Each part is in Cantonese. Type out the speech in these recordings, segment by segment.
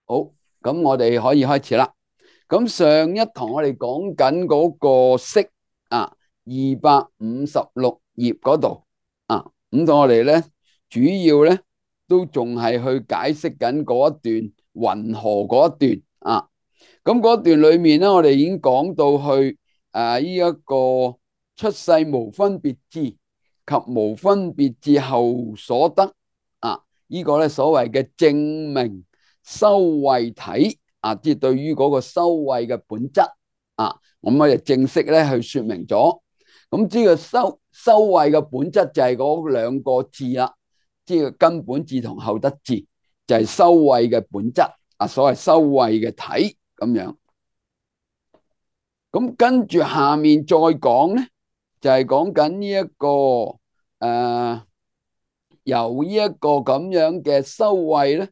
好，咁我哋可以開始啦。咁上一堂我哋講緊嗰個式啊，256頁嗰度啊，咁我哋咧主要咧都仲係去解釋緊嗰一段云何嗰一段啊。咁嗰段裏面咧，我哋已經講到去呢一個出世無分別智及無分別智後所得啊，呢個咧所謂嘅證明修慧體啊，即係對於嗰個修慧嘅本質啊，咁我哋正式咧去說明咗。咁呢個修慧嘅本質就係嗰兩個字啦，即係根本智同後得智，就係修慧嘅本質啊，所謂修慧嘅體咁樣。咁跟住下面再講咧，就係講緊呢一個由呢一個咁樣嘅修慧咧，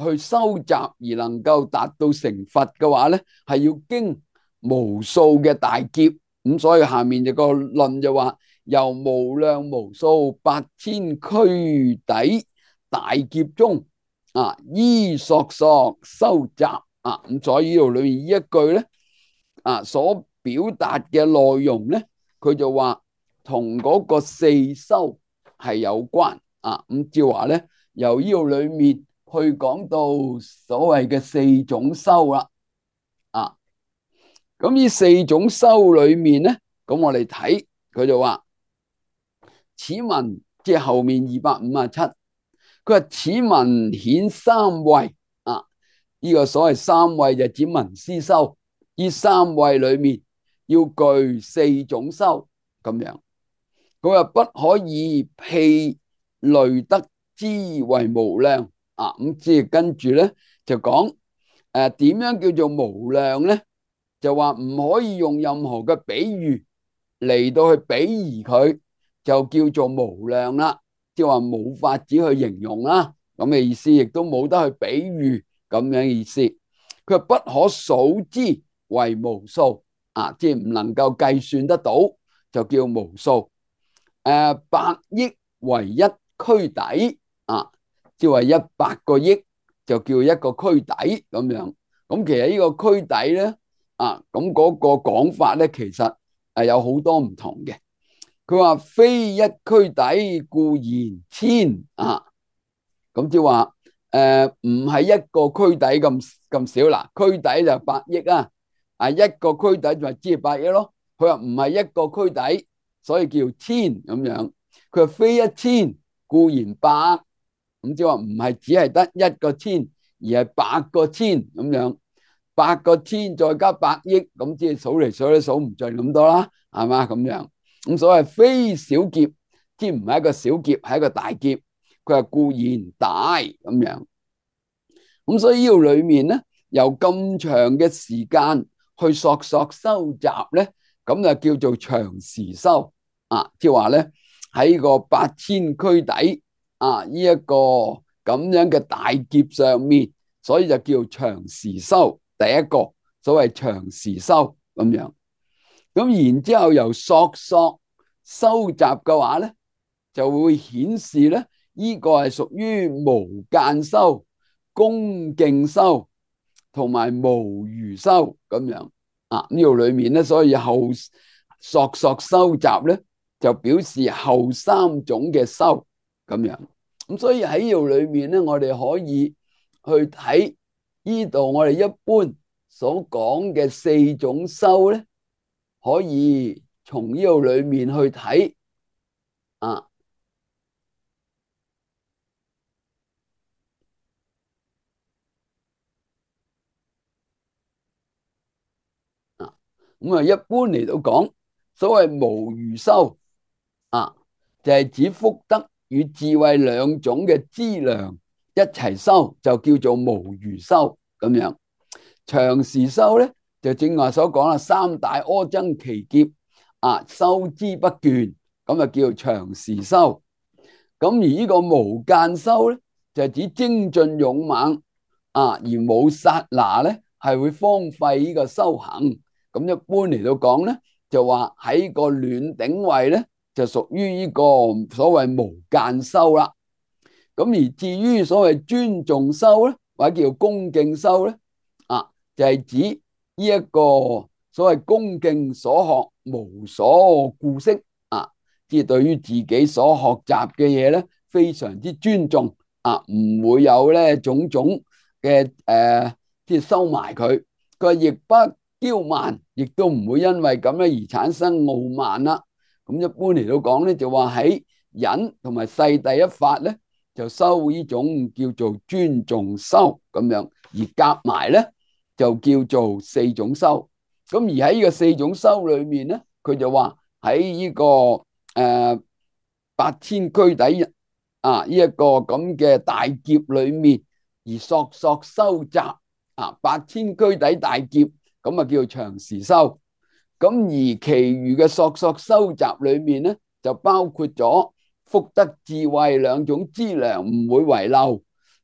去收集而能夠達到成佛嘅話咧，係要經無數嘅大劫。咁所以下面就個論就話，由無量無數8000俱胝大劫中啊，依索索收集啊。咁所以呢度裏面呢一句咧啊，所表達嘅內容咧，佢就話同嗰個四修係有關啊。咁照話咧，由呢度裏面去講到所謂嘅四種修啦啊。咁呢四種修裏面咧，咁我哋睇佢就話，此文即係後面257，佢話此文顯三慧啊。呢個所謂三慧就指文思修，呢三慧裏面要具四種修咁樣。佢話不可以譬類得之為無量啊。咁即係跟住咧就講點樣叫做無量咧？就話唔可以用任何嘅比喻嚟到去比擬佢，就叫做無量啦。即係話冇法子去形容啦，咁嘅意思，亦都冇得去比喻咁樣嘅意思。佢話不可數之為無數啊，即係唔能夠計算得到，就叫無數。百億為一俱胝啊，即係話100個億就叫一個俱胝咁樣。咁其實呢個俱胝咧啊，咁嗰個講法咧，其實有好多唔同嘅。佢話非一俱胝故言千啊，咁即係話唔係一個俱胝咁少啦，俱胝就百億啊，一個俱胝就即係百億咯。佢話唔係一個俱胝，所以叫千咁樣。佢話非一千故言百，咁即係話唔係只係得一個千，而係100個千咁樣。100個千再加百億，咁即係數嚟數都數唔盡咁多啦，係嘛咁樣。咁所謂非小劫，即唔係一個小劫，係一個大劫。佢話故言大咁樣。咁所以呢度裏面咧，由咁長嘅時間去索收集咧，咁就叫做長時修啊。即係話咧，喺個8000俱胝啊呢一個咁樣嘅大劫上面，所以就叫長時修。第一個所謂長時修咁樣。咁然之後由索收集嘅話咧，就會顯示咧，呢個係屬於無間修、恭敬修同埋無餘修咁樣啊。呢度裏面咧，所以後索收集咧，就表示後三種嘅修咁樣。咁所以喺呢度裏面咧，我哋可以去睇呢度我哋一般所講嘅四種修咧，可以從呢度裏面去睇啊。咁啊，一般嚟到講，所謂無餘修啊，就係指福德與智慧兩種嘅資糧一齊修，就叫做無餘修咁樣。長時修咧，就正話所講啦，三大阿僧祇劫啊，修之不倦，咁啊叫做長時修。咁而呢個無間修咧，就係指精進勇猛啊，而冇剎那咧，係會荒廢呢個修行。咁一般嚟到講咧，就話喺個暖頂位咧，就屬於呢個所謂無間修啦。咁而至於所謂尊重修咧，或者叫恭敬修咧，就係指呢一個所謂恭敬所學，無所顧惜即係對於自己所學習嘅嘢咧，非常之尊重唔會有咧種種嘅即係收埋佢。佢話亦不驕慢，亦都唔會因為咁樣而產生傲慢啦。咁一般嚟到講咧，就話喺忍同埋世第一法咧，就修呢種叫做尊重修咁樣，而夾埋咧就叫做四種修。咁而喺呢個四種修裏面咧，佢就話喺呢個八千俱胝呢一個咁嘅大劫裏面，而索索修習八千俱胝大劫，咁叫做長時修。咁而其餘嘅索索修習裏面咧，就包括咗福德智慧兩種資糧唔會遺漏，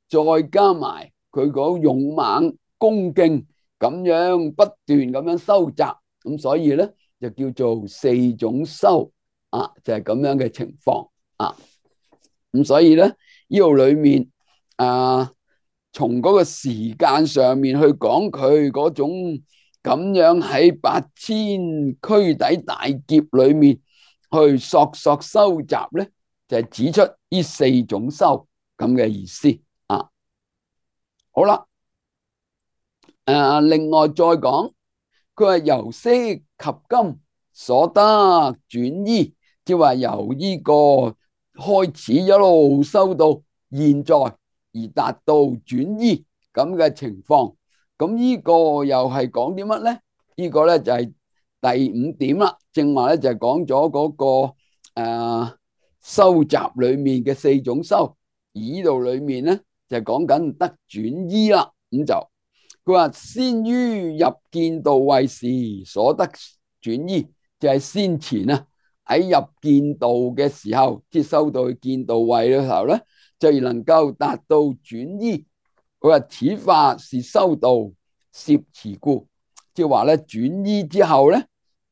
再加埋佢嗰勇猛恭敬咁樣不斷咁樣修習，咁所以咧就叫做四種修就係咁樣嘅情況咁所以咧呢度裏面從嗰個時間上面去講佢嗰種咁樣喺八千俱胝大劫裏面去索索修習咧，就係指出呢四種修咁嘅意思好啦，另外再講，佢話由昔及今所得轉依，即係話由呢個開始一路修到現在而達到轉依咁嘅情況。咁呢個又係講啲乜咧？呢個咧就係第五點啦。正話咧就係講咗嗰個修習裏面嘅四種修，而呢度裏面咧就係講緊得轉依啦。咁就佢話先於入見道位時所得轉依，就係先前喺入見道嘅時候，即係修到去見道位嘅時候咧，就能夠達到轉依。佢話此法是修道攝持故，即係話咧轉依之後咧，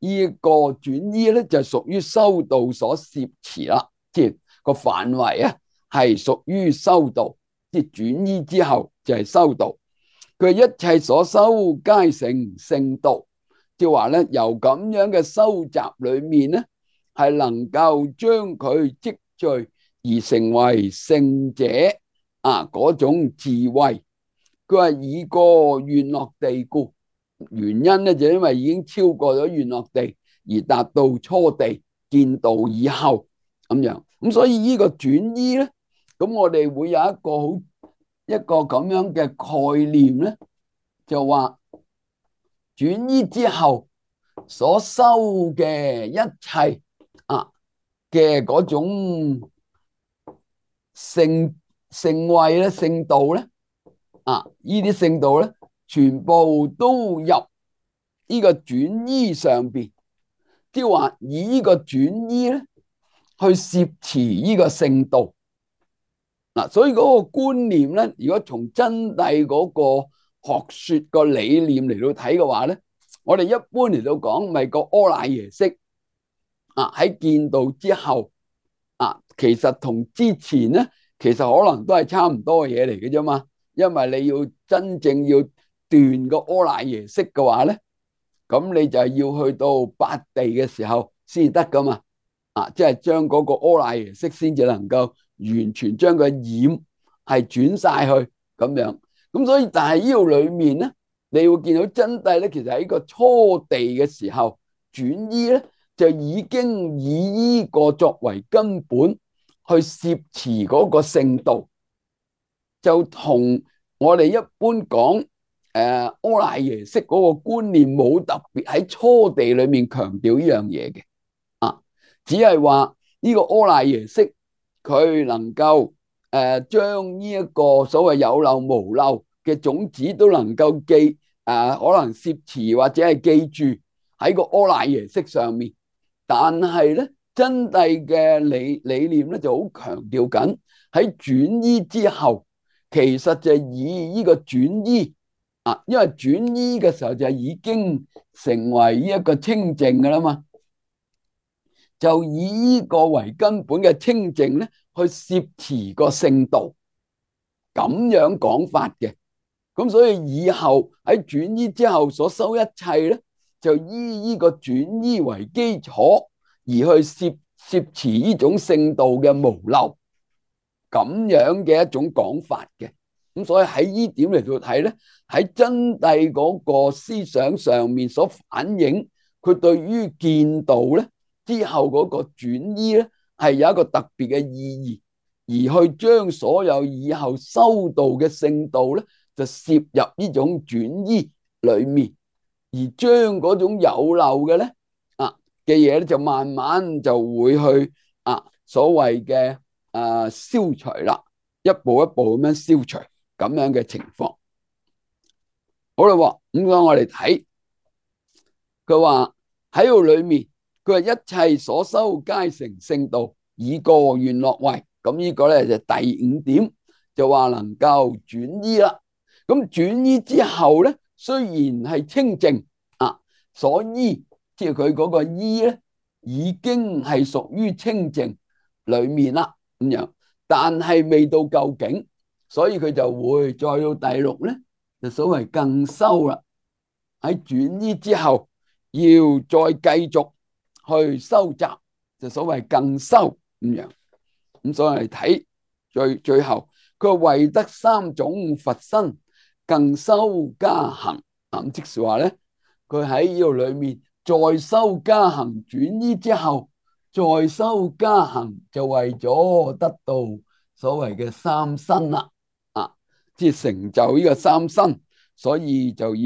呢個轉依咧就屬於修道所攝持啦，即係個範圍係屬於修道，即係轉依之後就係修道。佢一切所修皆成聖道，即係話咧由咁樣嘅修習裏面咧，係能夠將佢積聚而成為聖者嗰種智慧。佢話以過願樂地故，原因咧就因為已經超過咗願樂地而達到初地見道以後咁樣。咁所以呢個轉依咧，咁我哋會有一個咁樣嘅概念咧，就話轉依之後所修嘅一切嘅嗰種聖位咧、聖道咧呢啲聖道咧，全部都入呢個轉依上邊，即係話以呢個轉依咧去攝持呢個聖道所以嗰個觀念咧，如果從真諦嗰個學說個理念嚟到睇嘅話咧，我哋一般嚟到講，咪個阿賴耶識喺見道之後其實同之前咧，其實可能都係差唔多嘅嘢嚟嘅啫嘛。因為你要真正要斷個阿賴耶識嘅話咧，咁你就係要去到八地嘅時候先得噶嘛。即係將嗰個阿賴耶識先至能夠完全將個染係轉晒去咁樣。咁所以但係呢度裏面咧，你會見到真諦咧，其實喺個初地嘅時候轉依咧，就已經以呢個作為根本去攝持嗰個聖道，就同我哋一般講阿賴耶識嗰個觀念冇特別喺初地裏面強調呢樣嘢嘅只係話呢個阿賴耶識佢能夠將呢一個所謂有漏無漏嘅種子都能夠記可能攝持或者係記住喺個阿賴耶識上面。但係咧真諦嘅理念咧就好強調緊喺轉依之後，其實就以呢個轉依因為轉依嘅時候就已經成為呢一個清淨噶啦嘛，就以呢個為根本嘅清淨咧去攝持個聖道，咁樣講法嘅。咁所以以後喺轉依之後所修一切咧，就依呢個轉依為基礎，而去攝持呢種聖道嘅無漏，咁樣嘅一種講法嘅。咁所以喺呢點嚟到睇咧，喺真諦嗰個思想上面所反映，佢對於見道咧之後嗰個轉依咧，係有一個特別嘅意義，而去將所有以後修道嘅聖道咧，就攝入呢種轉依裏面，而將嗰種有漏嘅咧嘅嘢咧，就慢慢就會去所謂嘅消除啦，一步一步咁樣消除咁樣嘅情況。好啦，咁我哋睇佢話喺度裏面，佢話一切所修皆成聖道，以個願樂為。咁呢個咧就第五點，就話能夠轉依啦。咁轉依之後咧，雖然係清淨所依，即係佢嗰個依咧，已經係屬於清淨裏面啦咁樣，但係未到究竟，所以佢就會再到第六咧，就所謂更修啦。喺轉依之後，要再繼續去收集，就所謂更修咁樣。咁所以我哋睇最後，佢話為得三種佛身，更修加行。咁即是話咧，佢喺呢度裏面再修加行轉依之後，再修加行就為咗得到所謂嘅三身啦，即係成就呢個三身，所以就要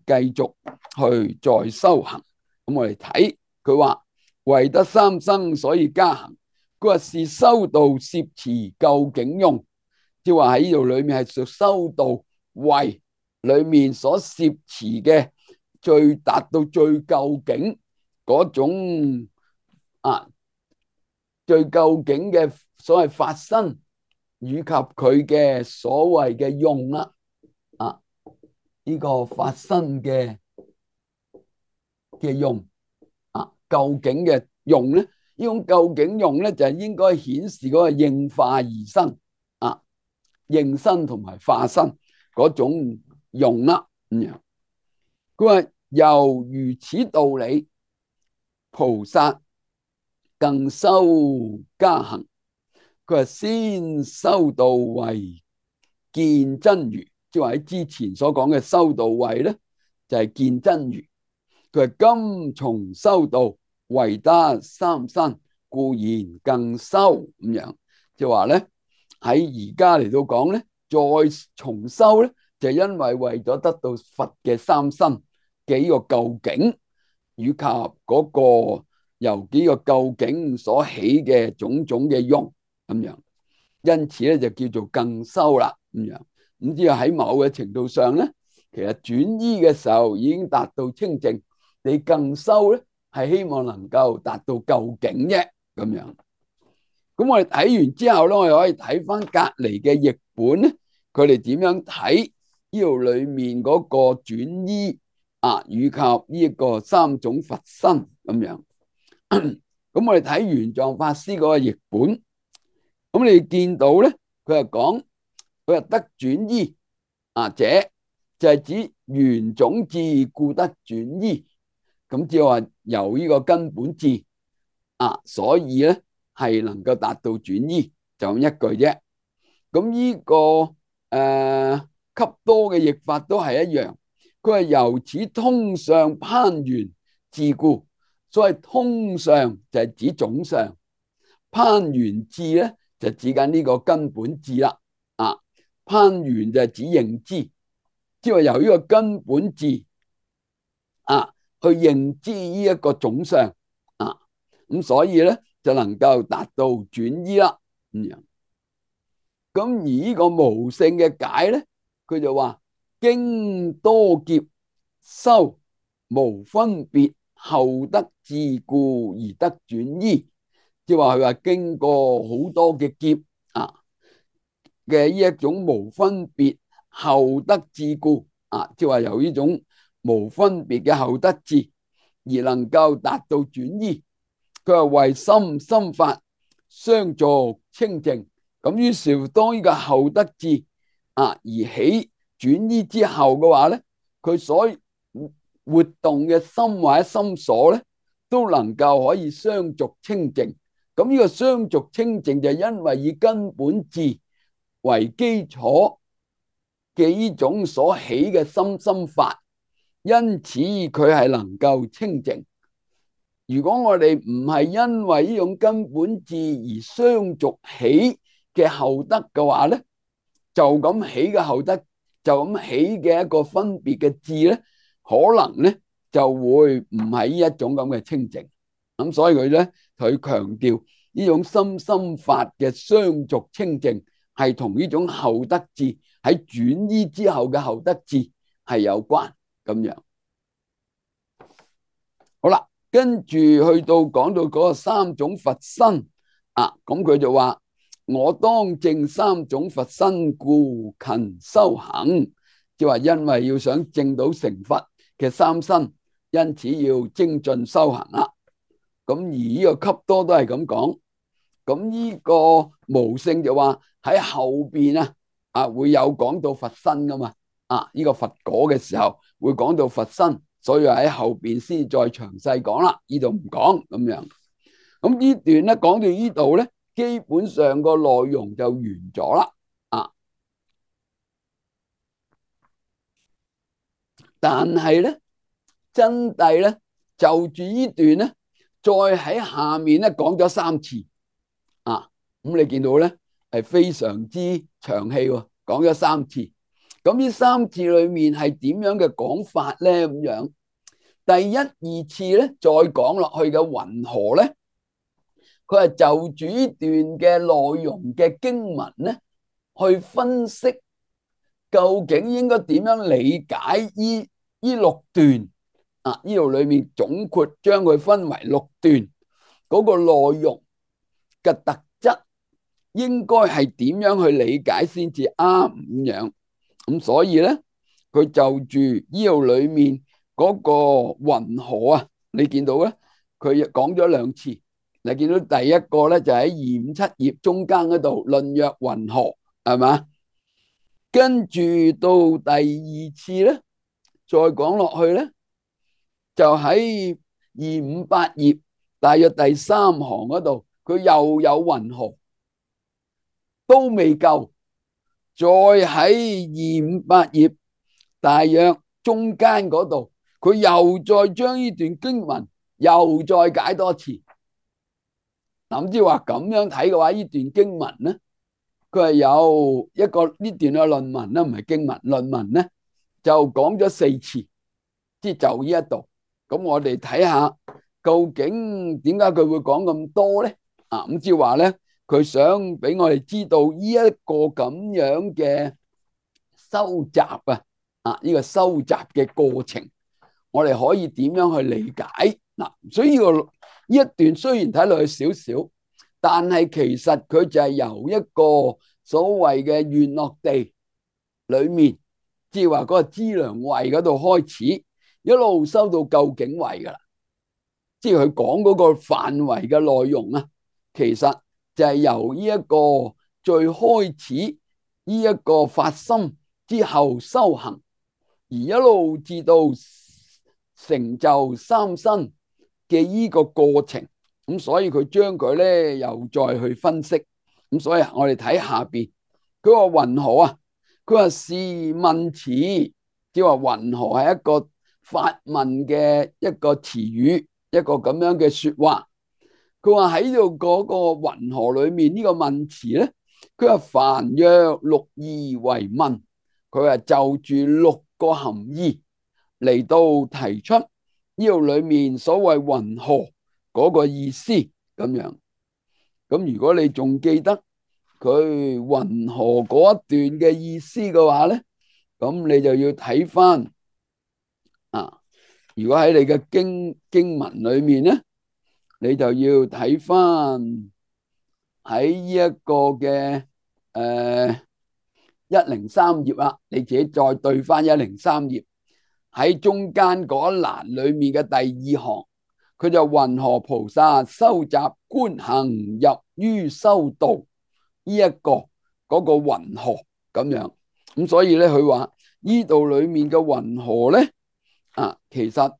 繼續去再修行。咁我哋睇佢話為得三身，所以加行。佢話是修道攝持究竟用，即係話喺呢度裏面係屬修道為裏面所攝持嘅最達到最究竟嗰種最究竟嘅所謂法身，以及佢嘅所謂嘅用啦，呢個法身嘅用究竟嘅用咧，呢種究竟用咧就係應該顯示嗰個應化而生應身同埋化身嗰種用啦咁樣。佢話由如此道理，菩薩更修加行。佢話先修道為見真如，即係話喺之前所講嘅修道位咧，就係見真如。佢話今從修道為得三身，故然更修咁樣，即係話咧喺而家嚟到講咧，再重修咧，就因為為咗得到佛嘅三身嘅呢個究竟，以及嗰個由幾個究竟所起嘅種種嘅用咁樣，因此咧就叫做更修啦咁樣。咁即係喺某嘅程度上咧，其實轉依嘅時候已經達到清淨，你更修咧係希望能夠達到究竟啫咁樣。咁我哋睇完之後咧，我哋可以睇翻隔籬嘅譯本咧，佢哋點樣睇呢度裏面嗰個轉依以及呢一個三種佛身咁樣。咁我哋睇玄奘法師嗰個譯本，咁你見到咧，佢係講佢係得轉依者就係指緣種智故得轉依，咁即係話由呢個根本智所以咧係能夠達到轉依，就咁一句啫。咁呢個笈多嘅譯法都係一樣，佢係由此通上攀緣智故。所謂通上就係指總相，攀緣智咧就指緊呢個根本智啦。攀緣就係指認知，即係由呢個根本智去認知呢一個總相咁所以咧就能夠達到轉依啦咁樣。咁而呢個無性嘅解咧，佢就話經多劫修無分別，後得智故而得轉依，即係話佢話經過好多嘅劫嘅呢一種無分別後得智故即係話由呢種無分別嘅後得智而能夠達到轉依。佢話為心法相助清淨，咁於是當呢個後得智而起轉依之後嘅話咧，佢所活動嘅心或者心所咧，都能夠可以相續清淨。咁呢個相續清淨就因為以根本智為基礎嘅呢種所起嘅心心法，因此佢係能夠清淨。如果我哋唔係因為呢種根本智而相續起嘅後得嘅話咧，就咁起嘅後得，就咁起嘅一個分別嘅智咧，可能咧就會唔係呢一種咁嘅清淨。咁所以佢咧，佢強調呢種心心法嘅相續清淨係同呢種後得智喺轉依之後嘅後得智係有關咁樣。好啦，跟住去到講到嗰個三種佛身啊，咁佢就話我當證三種佛身，故勤修行，即係話因為要想證到成佛嘅三身，因此要精進修行啦。咁而呢個笈多都係咁講。咁呢個無勝就話喺後邊會有講到佛身噶嘛，呢個佛果嘅時候會講到佛身，所以喺後邊先再詳細講啦，呢度唔講咁樣。咁呢段咧講到呢度咧，基本上個內容就完咗啦。但係咧真諦咧就住呢段咧，再喺下面咧講咗3次。咁你見到咧係非常之長氣喎，講咗3次。咁呢3次裏面係點樣嘅講法咧？咁樣第一、2次咧再講落去嘅雲何咧，佢係就住呢段嘅內容嘅經文咧，去分析究竟應該點樣理解呢6段呢度裏面總括將佢分為6段嗰個內容嘅特質，應該係點樣去理解先至啱咁樣。咁所以咧，佢就住呢度裏面嗰個雲何你見到咧，佢講咗2次。你見到第一個咧就喺257頁中間嗰度論曰雲何，係嘛？跟住到第2次咧，再講落去咧，就喺258頁大約第3行嗰度，佢又有雲何，都未夠。再喺258頁大約中間嗰度，佢又再將呢段經文又再解多次。諗住話咁樣睇嘅話，呢段經文咧，佢係有一個呢段嘅論文咧，唔係經文，論文咧就講咗4次，即係就呢一度。咁我哋睇下究竟點解佢會講咁多咧？咁即係話咧，佢想俾我哋知道呢一個咁樣嘅收集呢個收集嘅過程，我哋可以點樣去理解嗱？所以呢一段雖然睇落去少少，但係其實佢就係由一個所謂嘅願樂地裏面，即係話嗰個資糧位嗰度開始，一路收到究竟位噶啦。即係佢講嗰個範圍嘅內容其實就係由呢一個最開始呢一個發心之後修行，而一路至到成就三身嘅呢個過程。咁所以佢將佢咧又再去分析。咁所以我哋睇下邊，佢話雲何佢話是問詞，即係話雲何係一個發問嘅一個詞語，一個咁樣嘅說話。佢話喺度嗰個雲何裏面呢個問詞咧，佢話凡約6義為問，佢話就住6個含義嚟到提出呢度裏面所謂雲何嗰個意思咁樣。咁如果你仲記得佢雲何嗰一段嘅意思嘅話咧，咁你就要睇翻如果喺你嘅經文裏面咧，你就要睇翻喺呢一個嘅103頁啦，你自己再對翻103頁喺中間嗰一欄裏面嘅第2行。佢就雲何菩薩收集觀行入於修道，呢一個嗰個雲何咁樣。咁所以咧佢話呢度裏面嘅云何咧？其實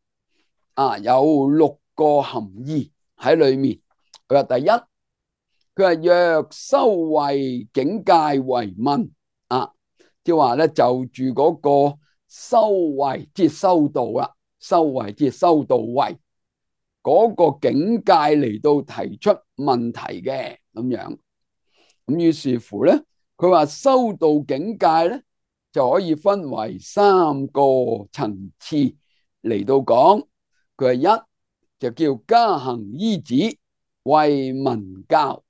有6個含義喺裏面。佢話第一，佢話若修慧境界為問即係話咧就住嗰個修慧，即係修道啦，修慧即係修道慧嗰個境界嚟到提出問題嘅咁樣。咁於是乎咧，佢話修道境界咧就可以分為3個層次嚟到講。佢話一就叫加行依止為文教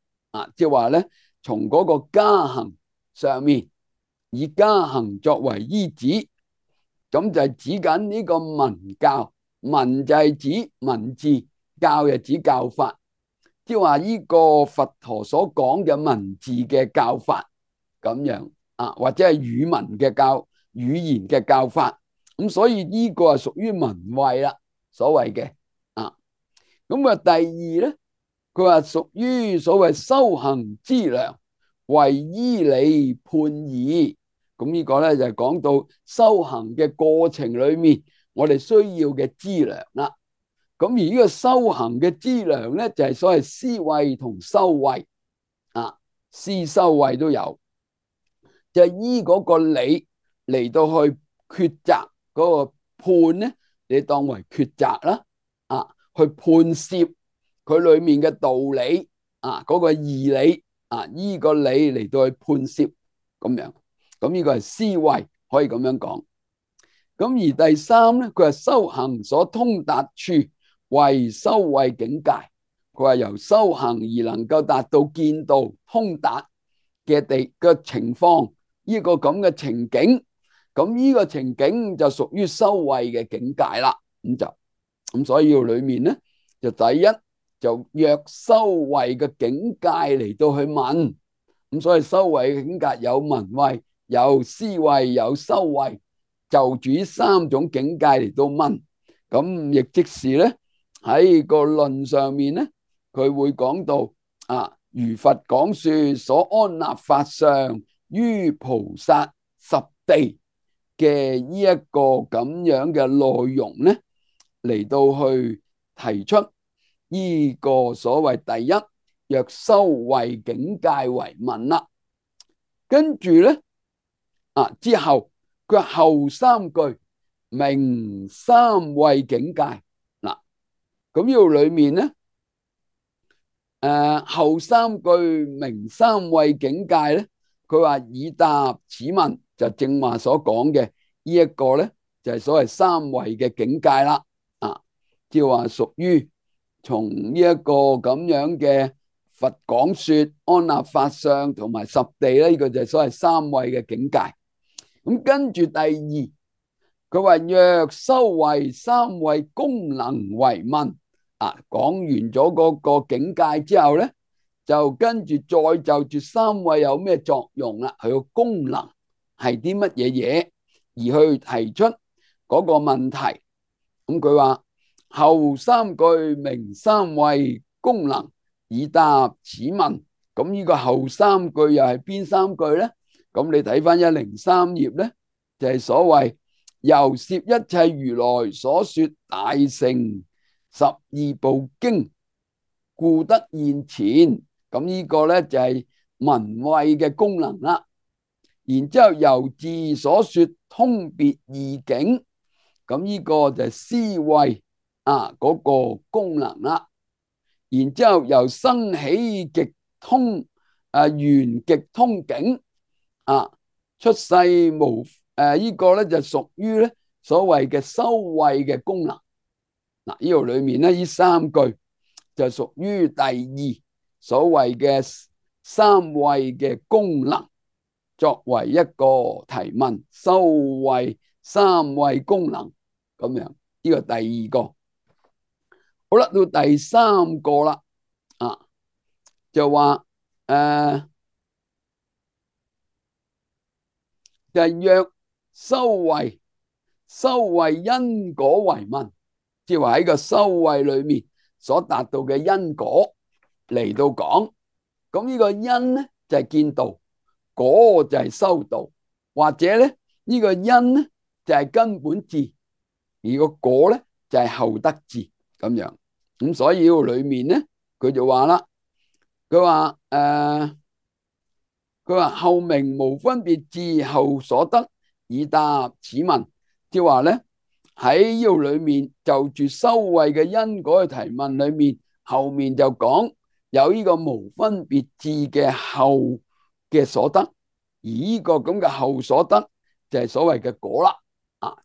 即係話咧從嗰個加行上面以加行作為依止，咁就係指緊呢個文教。文就係指文字，教就指教法，即係話呢個佛陀所講嘅文字嘅教法咁樣或者係語文嘅語言嘅教法。咁所以呢個係屬於文慧啦，所謂嘅咁第二咧，佢話屬於所謂修行資糧，為依理判義。咁呢個咧就係講到修行嘅過程裏面，我哋需要嘅資糧啦。咁而呢個修行嘅資糧咧，就係所謂思慧同修慧思修慧都有，就係依嗰個理嚟到去抉擇嗰個判咧，你當為抉擇啦去判攝佢裏面嘅道理嗰個義理依個理嚟到去判攝咁樣。咁呢個係思慧，可以咁樣講。咁而第三咧，佢係修行所通達處為修慧境界。佢話由修行而能夠達到見道通達嘅情況，呢個咁嘅情景，咁呢個情景就屬於修慧嘅境界啦。咁所以裏面咧，就第一就若修慧嘅境界嚟到去問。咁所以修慧嘅境界有文慧、有思慧、有修慧，就住呢3種境界嚟到問。咁亦即是咧喺個論上面咧，佢會講到如佛講說所安立法相於菩薩十地嘅呢一個咁樣嘅內容咧，嚟到去提出呢個所謂第一若修慧境界為問啦。跟住咧之後佢後3句明三慧境界咁呢度裏面咧後3句明三慧境界咧，佢話以答此問，就正話所講嘅呢一個咧，就係所謂三慧嘅境界啦即係話屬於從呢一個咁樣嘅佛講說安立法相同埋十地咧，呢個就係所謂三慧嘅境界。咁跟住第二，佢話若修慧三慧功能為問講完咗嗰個境界之後咧，就跟住再就住三慧有咩作用啦，佢個功能係啲乜嘢嘢，而去提出嗰個問題。咁佢話後3句明三慧功能，以答此問。咁呢個後3句又係邊3句咧？咁你睇翻103頁咧，就係所謂由攝一切如來所說大乘12部經，故得現前。咁呢個咧就係文慧嘅功能啦。然之後由自所說通別義境，咁呢個就係思慧嗰個功能啦。然之後由生起極通圓極通境出世無呢個咧就屬於咧所謂嘅修慧嘅功能。呢度裏面咧呢3句就屬於第2所謂嘅三慧嘅功能，作為一個提問，修慧三慧功能咁樣。呢個第2個。好啦，到第3個啦就話就係若修慧因果為問，即係話喺個修慧裏面所達到嘅因果嚟到講。咁呢個因咧就係見道，果就係修道，或者咧呢個因咧就係根本智，而個果咧就係後得智咁樣。咁所以呢個裏面咧，佢就話啦，佢話後明無分別智後所得，以答此問。即係話咧喺呢度裏面就住修慧嘅因果嘅提問裏面，後面就講有呢個無分別智嘅後嘅所得，而呢個咁嘅後所得就係所謂嘅果啦，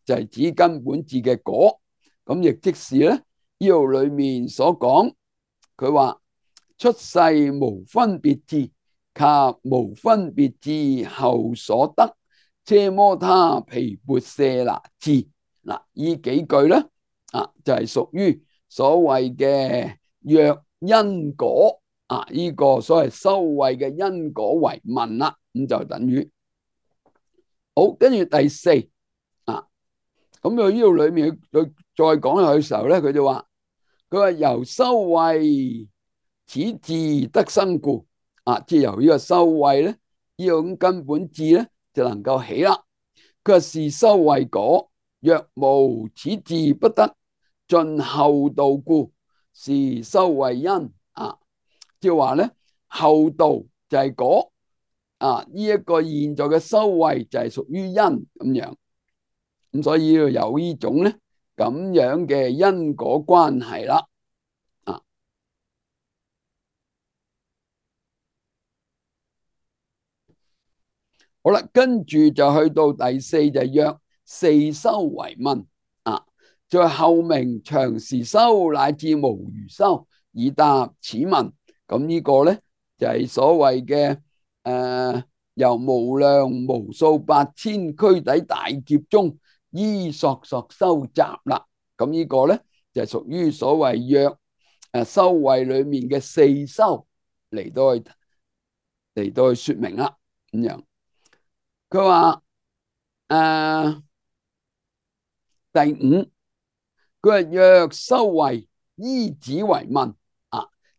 就係指根本智嘅果。咁亦即是咧呢度裏面所講，佢話出世無分別智及無分別智後所得，奢摩他毗缽舍那智。嗱，呢幾句咧就係屬於所謂嘅若因果呢個所謂修慧嘅因果為問啦，咁就等於好。跟住第四咁佢呢度裏面佢再講落去嘅時候咧，佢就話由修慧此智得生故，即係由呢個修慧咧，呢個咁根本智咧就能夠起啦。佢話是修慧果，若無此智不得盡後道故，是修慧因。即係話咧後道就係果，呢一個現在嘅修慧就係屬於因咁樣。咁所以要有呢種咧咁樣嘅因果關係啦。好啦，跟住就去到第四，就若四修為問在後明長時修乃至無餘修，以答此問。咁呢個咧就係所謂嘅由無量無數百千俱胝大劫中依索索收集啦。咁呢個咧就係屬於所謂若修慧裏面嘅四修嚟到去說明啦。咁樣佢話第五，佢話若修慧依止為問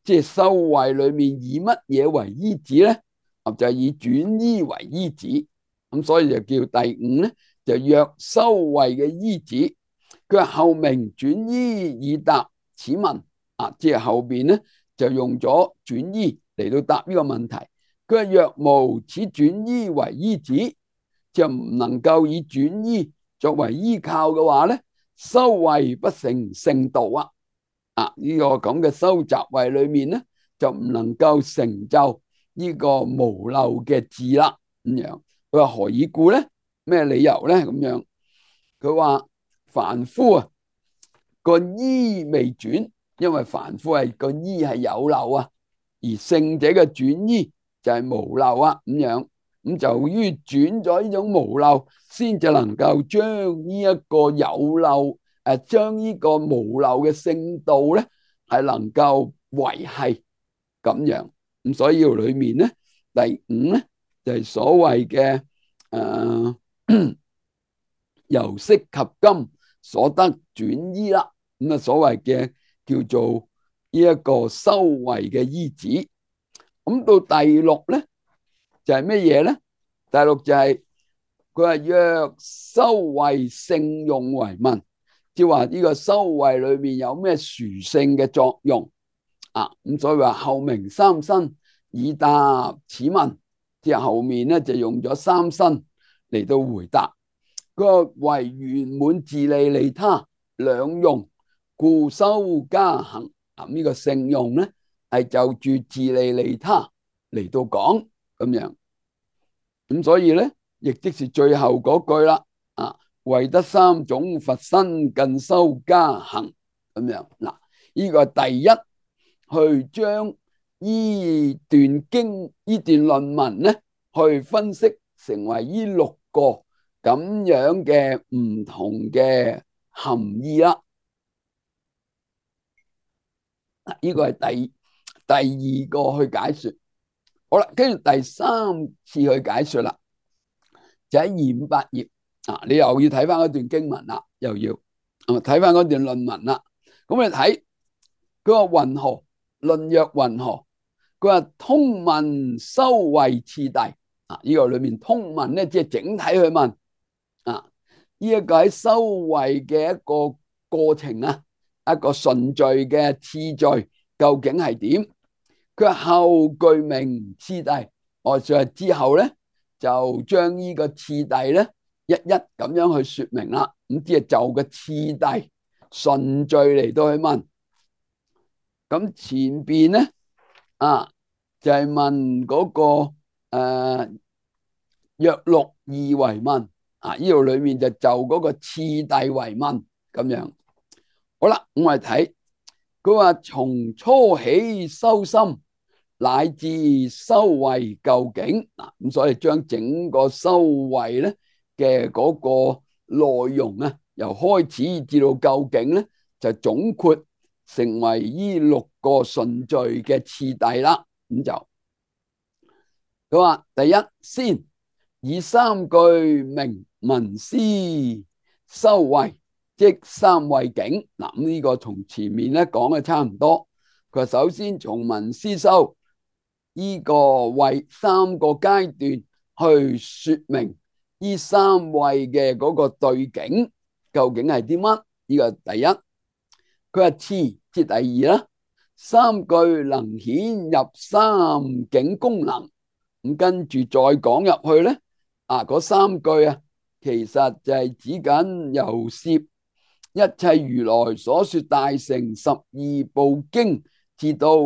即係修慧裏面以乜嘢為依止咧？就係以轉依為依止。咁所以就叫第五咧，就若修慧嘅依止。佢話後明轉依以答此問即係後邊咧就用咗轉依嚟到答呢個問題。佢話若無此轉依為依止，就唔能夠以轉依作為依靠嘅話咧，修慧不成聖道呢個咁嘅修習慧裏面咧，就唔能夠成就呢個無漏嘅智啦。咁樣佢話何以故咧？咩理由咧？咁樣佢話凡夫個依未轉，因為凡夫係個依係有漏而聖者嘅轉依就係無漏咁樣。咁就於轉咗呢種無漏，先至能夠將呢一個有漏將呢個無漏嘅聖道咧，係能夠維繫咁樣。咁所以裏面咧，第五咧就係所謂嘅由昔及今所得轉依啦。咁所謂嘅叫做呢一個修慧嘅依止。咁到第六咧就係乜嘢咧？第六就係佢話若修慧聖用為問，即係話呢個修慧裏面有咩殊勝嘅作用咁所以話後明三身以答此問，即係後面咧就用咗三身嚟到回答。佢話為圓滿自利利他兩用，故修加行。呢個聖用咧係就住自利利他嚟到講咁樣。咁所以咧，亦即是最後嗰句啦為得三種佛身更修加行咁樣。嗱，呢個係第一去將呢段經呢段論文咧去分析成為呢六個咁樣嘅唔同嘅含義啦。呢個係第二個去解說。好啦，跟住第三次去解說啦，就喺258頁你又要睇翻嗰段經文啦，又要睇翻嗰段論文啦。咁你睇佢話云何論若云何？佢話通問修慧次第呢個裏面通問咧，即係整體去問呢一個喺修慧嘅一個過程啊，一個順序嘅次序究竟係點？佢後句名次第，我就係之後咧就將呢個次第咧一一咁樣去說明啦。咁即係就個次第順序嚟到去問。咁前邊咧就係問嗰個約六二為問呢度裏面就嗰個次第為問咁樣。好啦，我哋睇佢話從初起修心，乃至修慧究竟咁，所以將整個修慧咧嘅嗰個內容由開始至到究竟咧，就總括成為呢六個順序嘅次第啦。咁就佢話第一先以三句明聞思修慧，即三慧境。咁呢個同前面咧講嘅差唔多。佢話首先從聞思修呢個慧三個階段去說明呢三慧嘅嗰個對境究竟係啲乜？呢個第一。佢話次即第二啦，三句能顯入三境功能。咁跟住再講入去咧，嗰三句其實就係指緊由攝一切如來所說大乘十二部經，至到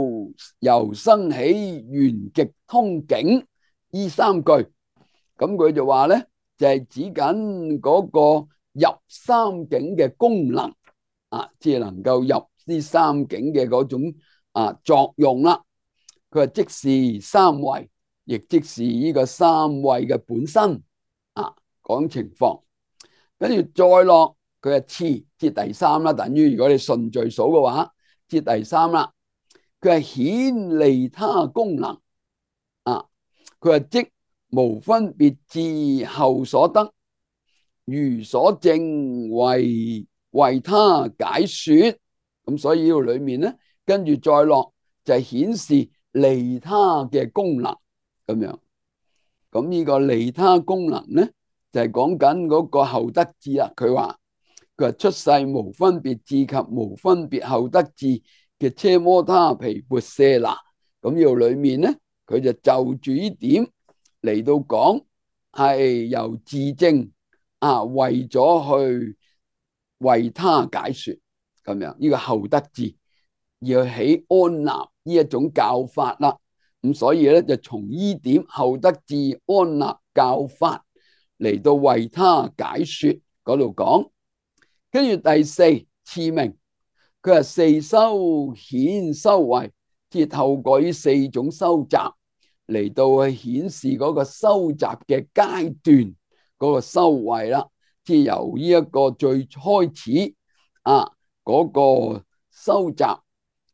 由生起圓極通境呢三句。咁佢就話咧，就係指緊嗰個入三境嘅功能即係能夠入呢三境嘅嗰種作用啦。佢話即是三慧，亦即是呢個三慧嘅本身講情況。跟住再落佢係次即第三啦，等於如果你順序數嘅話，即第三啦。佢係顯利他功能佢係即無分別智後所得，如所證為他解說。咁所以呢度裏面咧，跟住再落就係顯示利他嘅功能咁樣。咁呢個利他功能咧，就係講緊嗰個後得智啦。佢話出世無分別智及無分別後得智嘅車摩他毗缽舍那。咁呢度裏面咧，佢就住呢點嚟到講，係由自證為咗去為他解說咁樣。呢個後得智要起安立呢一種教法啦。咁所以咧，就從呢點後得智安立教法嚟到為他解說嗰度講。跟住第四次名，佢係四修顯修慧，即係透過呢四種修習嚟到去顯示嗰個修習嘅階段嗰個修慧啦。即係由呢一個最開始嗰個修習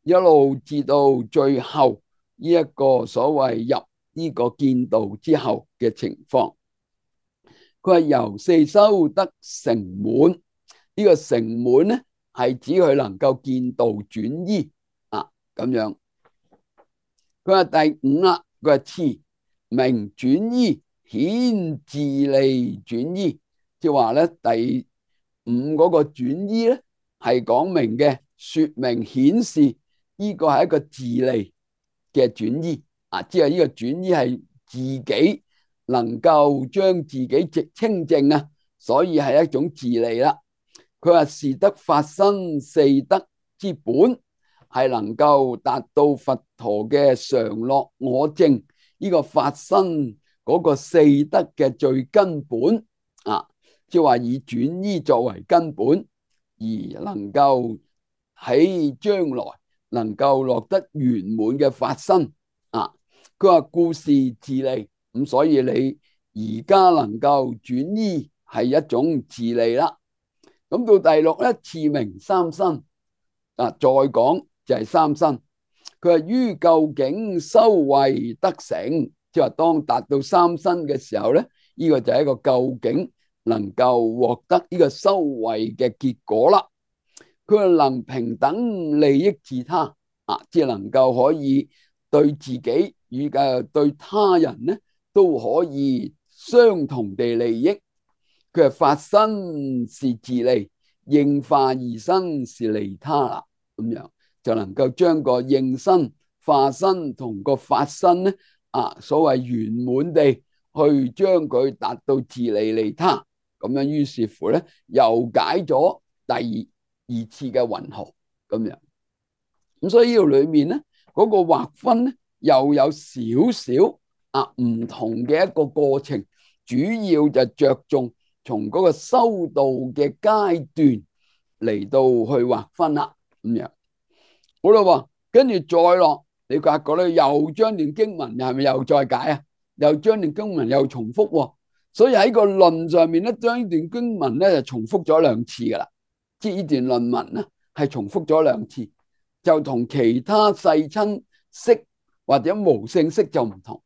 一路至到最後呢一個所謂入呢個見道之後嘅情況。佢係由四修得成滿。呢個成滿咧，係指佢能夠見道轉依咁樣。佢話第五啦，佢係次明轉依顯自利轉依，即係話咧第五嗰個轉依咧係講明嘅，說明顯示呢個係一個自利嘅轉依即係呢個轉依係自己能夠將自己直清淨所以係一種自利啦。佢話是得法身四德之本，係能夠達到佛陀嘅常樂我淨呢個法身嗰個四德嘅最根本即係話以轉依作為根本，而能夠喺將來能夠落得圓滿嘅法身佢話故是自利，咁所以你而家能夠轉依係一種自利啦。咁到第六咧，次名三身再講就係三身。佢話於究竟修慧得成，即係話當達到三身嘅時候咧，呢個就係一個究竟能夠獲得呢個修慧嘅結果啦。佢話能平等利益自他即係能夠可以對自己與對他人咧都可以相同地利益。佢係法身是自利，應化二身是利他啦，咁樣就能夠將個應身、化身同個法身咧所謂圓滿地去將佢達到自利利他，咁樣於是乎咧又解咗第二次嘅云何咁樣。咁所以呢度裏面咧嗰個劃分咧又有少少唔同嘅一個過程，主要就着重從嗰個修道嘅階段嚟到去劃分啦，咁樣好啦。跟住再落，你發覺咧又將段經文係咪又再解啊？又將段經文又重複，所以喺個論上面咧，將呢段經文咧就重複咗兩次噶啦。即係呢段論文咧係重複咗兩次，就同其他世親釋或者無性釋就唔同。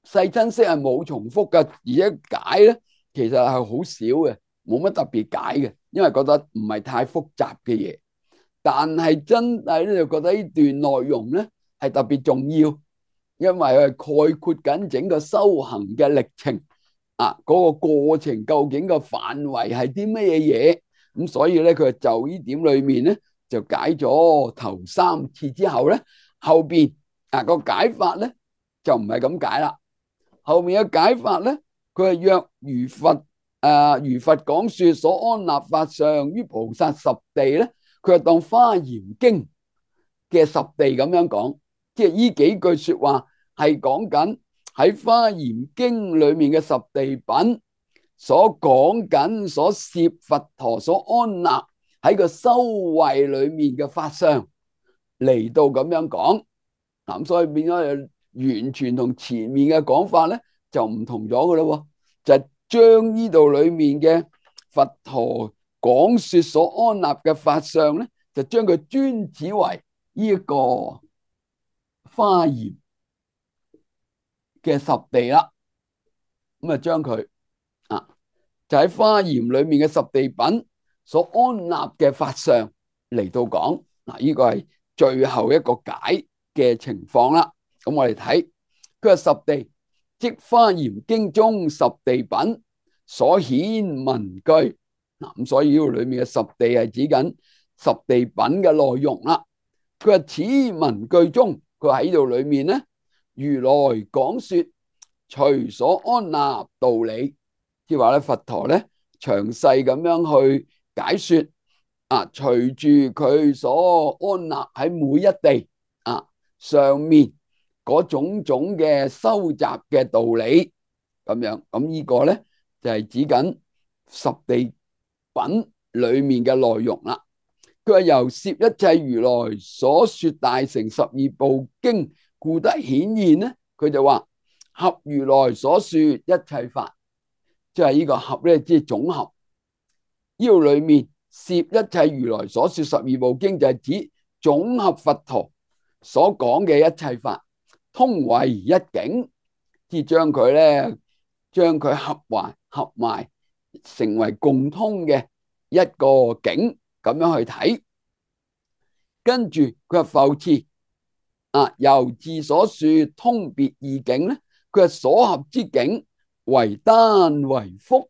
世親釋係冇重複嘅，而且解咧其實係好少嘅，冇乜特別解嘅，因為覺得唔係太複雜嘅嘢。但係真係咧就覺得呢段內容咧係特別重要，因為佢係概括緊整個修行嘅歷程嗰個過程究竟個範圍係啲咩嘢，咁所以咧佢就呢點裏面咧就解咗頭三次之後咧，後邊個解法咧就唔係咁解啦。後面嘅解法咧，佢係若如佛講說所安立法相於菩薩十地咧，佢係當華嚴經嘅十地咁樣講，即係呢幾句說話係講緊喺華嚴經裏面嘅十地品所講緊所攝佛陀所安立喺個修慧裏面嘅法相嚟到咁樣講，咁所以變咗完全同前面嘅講法咧就唔同咗噶咯，就係將呢度裏面嘅佛陀講說所安立嘅法相咧，就將佢專指為呢一個華嚴嘅十地啦。咁將佢就喺華嚴裏面嘅十地品所安立嘅法相嚟到講，呢個係最後一個解嘅情況啦。咁我哋睇佢話十地即華嚴經中十地品所顯文句，咁所以呢度裏面嘅十地係指緊十地品嘅內容啦。佢話此文句中，佢喺度裏面咧，如來講說隨所安立道理，即係話咧佛陀咧詳細咁樣去解說隨住佢所安立喺每一地上面嗰種種嘅收集嘅道理咁樣，咁呢個咧就係指緊十地品裏面嘅內容啦。佢話由攝一切如來所說大乘十二部經，故得顯現咧。佢就話合如來所說一切法，即係呢個合咧，即係總合。呢度裏面攝一切如來所說十二部經，就係指總合佛陀所講嘅一切法，通為一境，即係將佢咧，將佢合埋成為共通嘅一個境，咁樣去睇。跟住佢話復次由自所說通別異境咧，佢話所合之境為單為複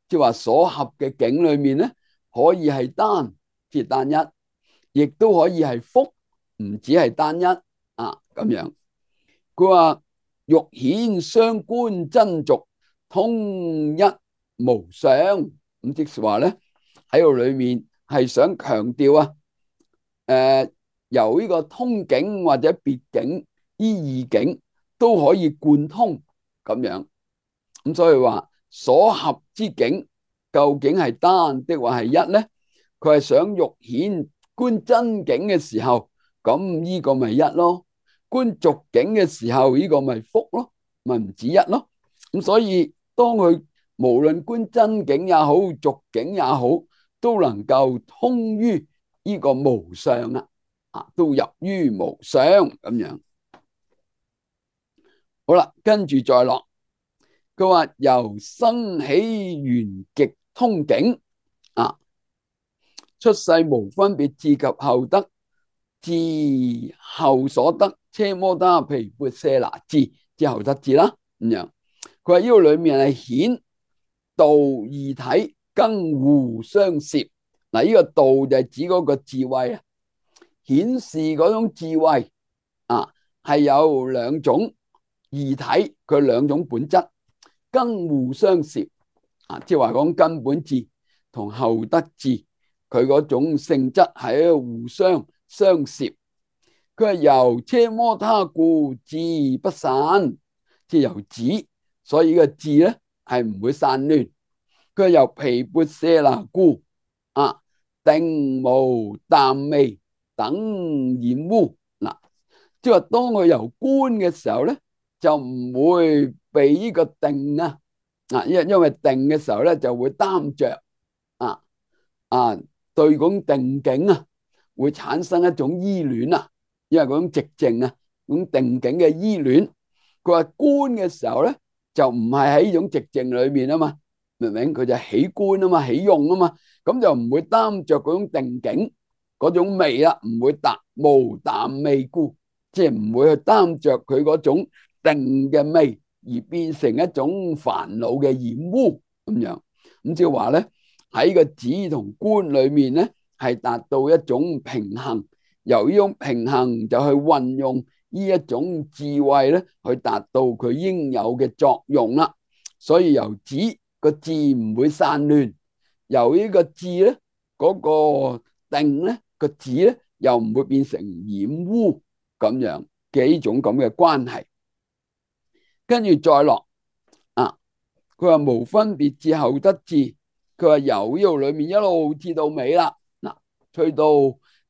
即係話所合嘅境裏面咧，可以係單，即係單一，亦都可以係複，唔止係單一咁樣。佢話欲顯相觀真俗，通一無相，咁即係話咧喺度裏面係想強調由呢個通境或者別境依異境都可以貫通咁樣。咁所以話所合之境究竟係單的或係一咧？佢係想欲顯觀真境嘅時候，咁呢個咪一咯；觀俗境嘅時候，呢個咪複咯，咪唔止一咯。咁所以當佢無論觀真境也好，俗境也好，都能夠通於呢個無相都入於無相咁樣。好啦，跟住再落，佢話由生起緣極通境出世無分別至及後得，至後所得奢摩他毗缽舍那智之後得智啦咁樣。佢話呢個裏面係顯道二體更互相攝。嗱，呢個道就係指嗰個智慧啊，顯示嗰種智慧啊，係有兩種異體，佢兩種本質更互相攝啊，即係話講根本智同後得智，佢嗰種性質係互相相攝。佢係由奢摩他故智不散，即係由止，所以呢個智咧係唔會散亂。佢係由毗缽舍那故啊，定無淡味等染污。嗱，即係話當佢由觀嘅時候咧，就唔會被呢個定啊，因為定嘅時候咧就會擔着啊對嗰種定境啊會產生一種依戀啊，因為嗰種寂靜啊，嗰種定境嘅依戀。佢話觀嘅時候咧就唔係喺呢種寂靜裏面啊嘛，明唔明？佢就起觀啊嘛，起用啊嘛，咁就唔會擔着嗰種定境嗰種味啦，唔會無淡味故，即係唔會去擔着佢嗰種定嘅味而變成一種煩惱嘅染污咁樣。咁即係話咧喺個止同觀裏面咧係達到一種平衡，由呢種平衡就去運用呢一種智慧咧去達到佢應有嘅作用啦。所以由止個智唔會散亂，由呢個智咧嗰個定咧個智咧又唔會變成染污咁樣嘅呢種咁嘅關係。跟住再落啊，佢話無分別智後得智，佢話由呢度裏面一路至到尾啦。嗱，去到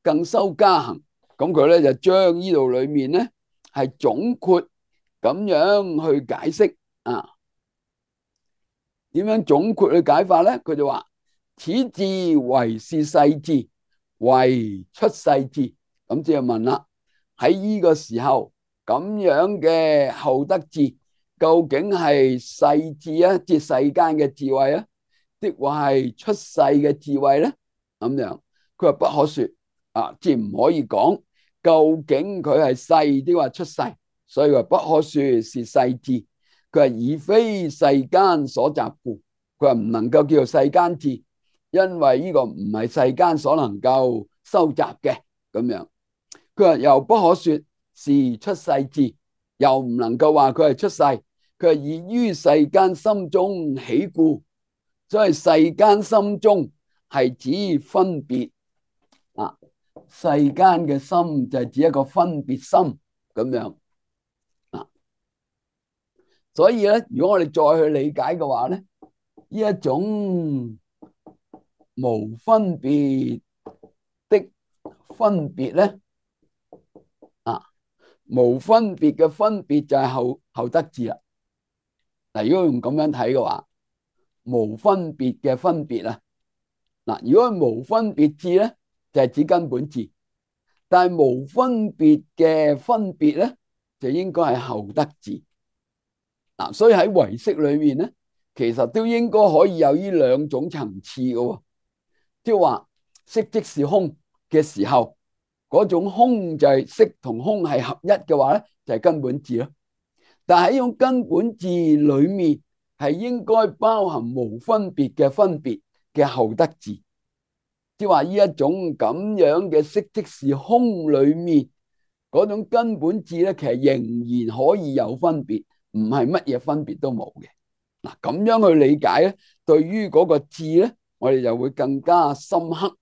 更修加行，咁佢咧就將呢度裏面咧係總括咁樣去解釋啊。點樣總括去解法咧？佢就話此智為是世智，為出世智。咁即係問啦，喺呢個時候咁樣嘅後得智，究竟係世智啊，即係世間嘅智慧啊，抑或係出世嘅智慧咧？咁樣佢話不可說啊，即係唔可以講究竟佢係世抑或出世，所以話不可說是世智。佢係以非世間所集故，佢話唔能夠叫做世間智，因為呢個唔係世間所能夠收集嘅咁樣。佢話又不可說是出世智，又唔能夠話佢係出世。佢係以於世間心中起故，所以世間心中係指分別啊，世間嘅心就係指一個分別心咁樣。所以咧，如果我哋再去理解嘅話咧，呢一種無分別的分別咧，無分別嘅分別就係後得智啦。嗱，如果用咁樣睇嘅話，無分別嘅分別啊，嗱，如果係無分別智咧，就係指根本智，但係無分別嘅分別咧，就應該係後得智。所以喺唯識裏面咧，其實都應該可以有呢兩種層次嘅，即係話色即是空嘅時候，嗰種空就係色同空係合一嘅話咧，就係根本智咯。但係喺呢種根本智裏面，係應該包含無分別嘅分別嘅後得智，即係話呢一種咁樣嘅色即是空裏面嗰種根本智咧，其實仍然可以有分別。唔係乜嘢分別都冇嘅。嗱，咁樣去理解咧，對於嗰個智咧，我哋就會更加深刻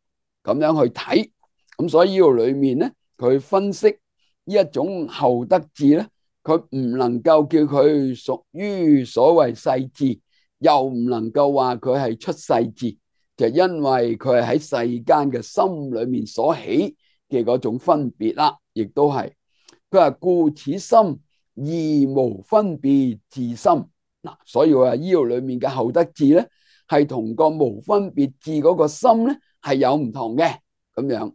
咁樣去睇。咁所以呢度裏面咧，佢分析呢一種後得智咧，佢唔能夠叫佢屬於所謂世智，又唔能夠話佢係出世智，就因為佢係喺世間嘅心裏面所起嘅嗰種分別啦，亦都係佢話故此心義無分別自心。嗱，所以話呢度裏面嘅後得智咧，係同個無分別智嗰個心咧係有唔同嘅咁樣。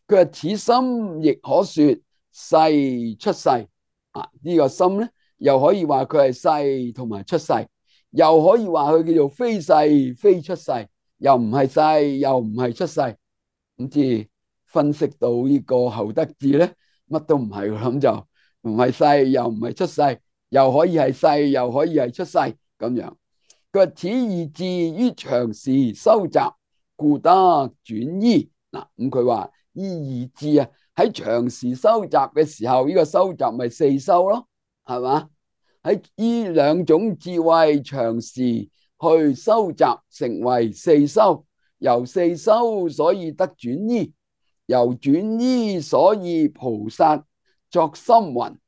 佢話此心亦可說世出世啊，呢個心咧又可以話佢係世同埋出世，又可以話佢叫做非世非出世，又唔係世又唔係出世。咁至分析到呢個後得智咧，乜都唔係，咁就唔係世又唔係出世，又可以係世又可以係出世咁樣。佢話此二字於長時修習，故得轉依。嗱，咁佢話呢二字啊，喺長時修習嘅時候，呢個修習咪四修咯，係嘛？喺呢兩種智慧長時去修習，成為四修，由四修所以得轉依，由轉依所以菩薩作心云。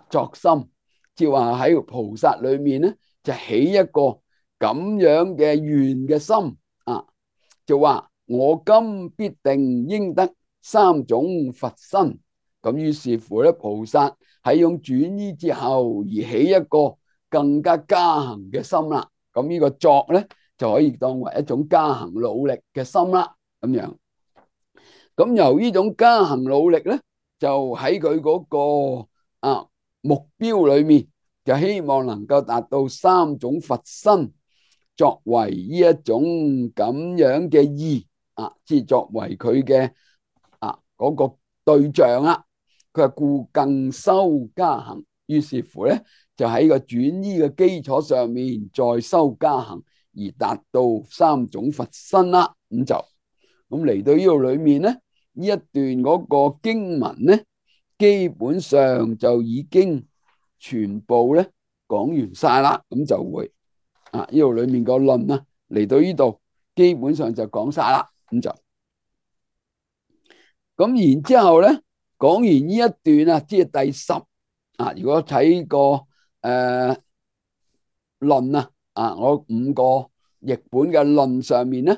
作心即係話喺菩薩裏面咧，就起一個咁樣嘅願嘅心就話我今必定應得三種佛身。咁於是乎咧，菩薩喺用轉依之後而起一個更加加行嘅心啦。咁呢個作咧就可以當為一種加行努力嘅心啦。咁樣，咁由呢種加行努力咧，就喺佢嗰個目標裏面，就希望能夠達到三種佛身，作為呢一種咁樣嘅意即係作為佢嘅嗰個對象啦。佢話故更修加行，於是乎咧就喺個轉依嘅基礎上面再修加行，而達到三種佛身啦。咁嚟到呢度裏面咧，呢一段嗰個經文咧，基本上就已經全部咧講完晒啦。咁就會呢度裏面個論啊，嚟到呢度基本上就講晒啦。咁然之後咧，講完呢一段即係第10如果睇個論我5個譯本嘅論上面咧，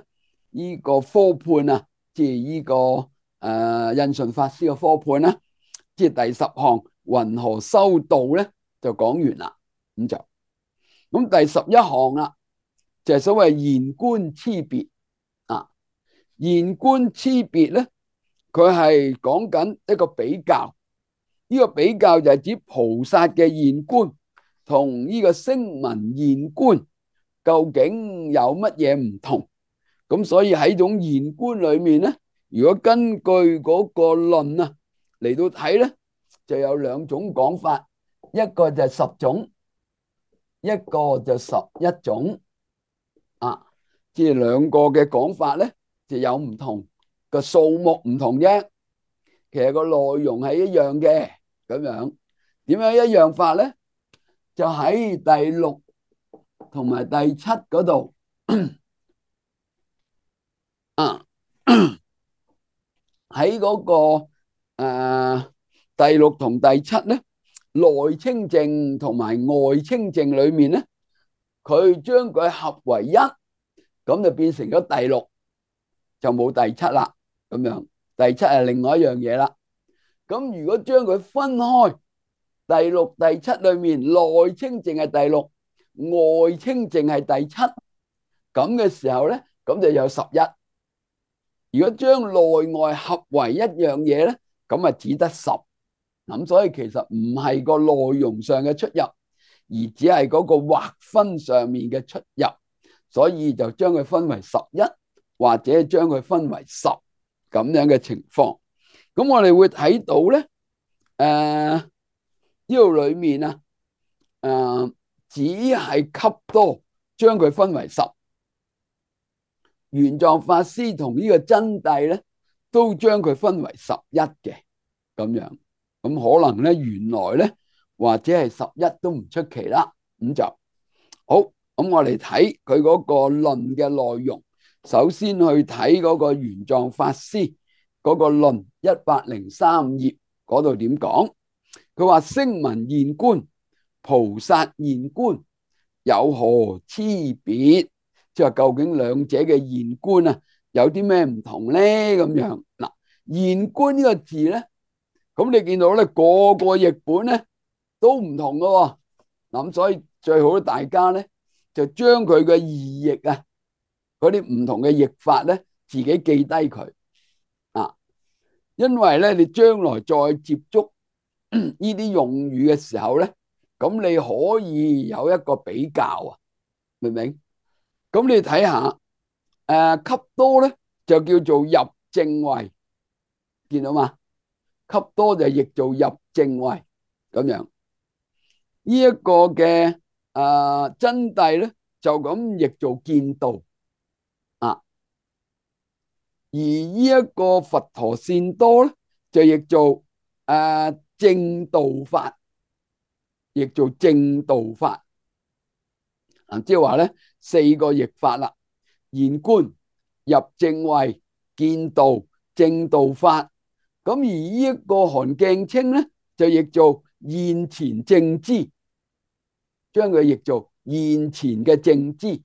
呢個科判即係呢個印順法師嘅科判啦，即係第10項云何修道咧，就講完啦。咁第11項啦，就係所謂言觀差別言觀差別咧，佢係講緊一個比較。呢個比較就係指菩薩嘅言觀同呢個聲聞言觀究竟有乜嘢唔同。咁所以喺種言觀裏面咧，如果根據嗰個論嚟到睇咧，就有2種講法，一個就係10種，一個就11種即係2個嘅講法咧，就有唔同個數目唔同啫，其實個內容係一樣嘅。咁樣點樣一樣法咧？就喺第6同埋第7嗰度喺嗰個第6同第7咧，內清淨同埋外清淨裏面咧，佢將佢合為一，咁就變成咗第6，就冇第7啦。咁樣第7係另外一樣嘢啦。咁如果將佢分開，第6、第7裏面內清淨係第6，外清淨係第7，咁嘅時候咧，咁就有11。如果將內外合為一樣嘢咧，咁只得10。咁所以其實唔係個內容上嘅出入，而只係嗰個劃分上面嘅出入，所以就將佢分為11，或者將佢分為10咁樣嘅情況。咁我哋會睇到咧，呢度裏面只係笈多將佢分為10，玄奘法師同呢個真諦咧都將佢分為11嘅咁樣。咁可能咧原來咧或者係11都唔出奇啦。咁就好。咁我哋睇佢嗰個論嘅內容，首先去睇嗰個玄奘法師嗰個論103頁嗰度點講。佢話聲聞言觀、菩薩言觀有何差別？即係究竟兩者嘅言觀有啲咩唔同咧？咁樣嗱，言觀呢個字咧，咁你見到咧個個譯本咧都唔同噶。咁所以最好大家咧就將佢嘅意譯嗰啲唔同嘅譯法咧自己記低佢因為咧你將來再接觸呢啲用語嘅時候咧，咁你可以有一個比較明唔明？咁你睇下笈多咧就叫做入正位，見到嘛？笈多就譯做入正位咁樣。呢一個嘅真諦咧就咁譯做見道啊。而呢一個佛陀善多咧，就譯做正道法，譯做正道法。即係話咧4個譯法啦：現觀、入正位、見道、正道法。咁而呢一個韓鏡清咧，就譯做現前正知，將佢譯做現前嘅正知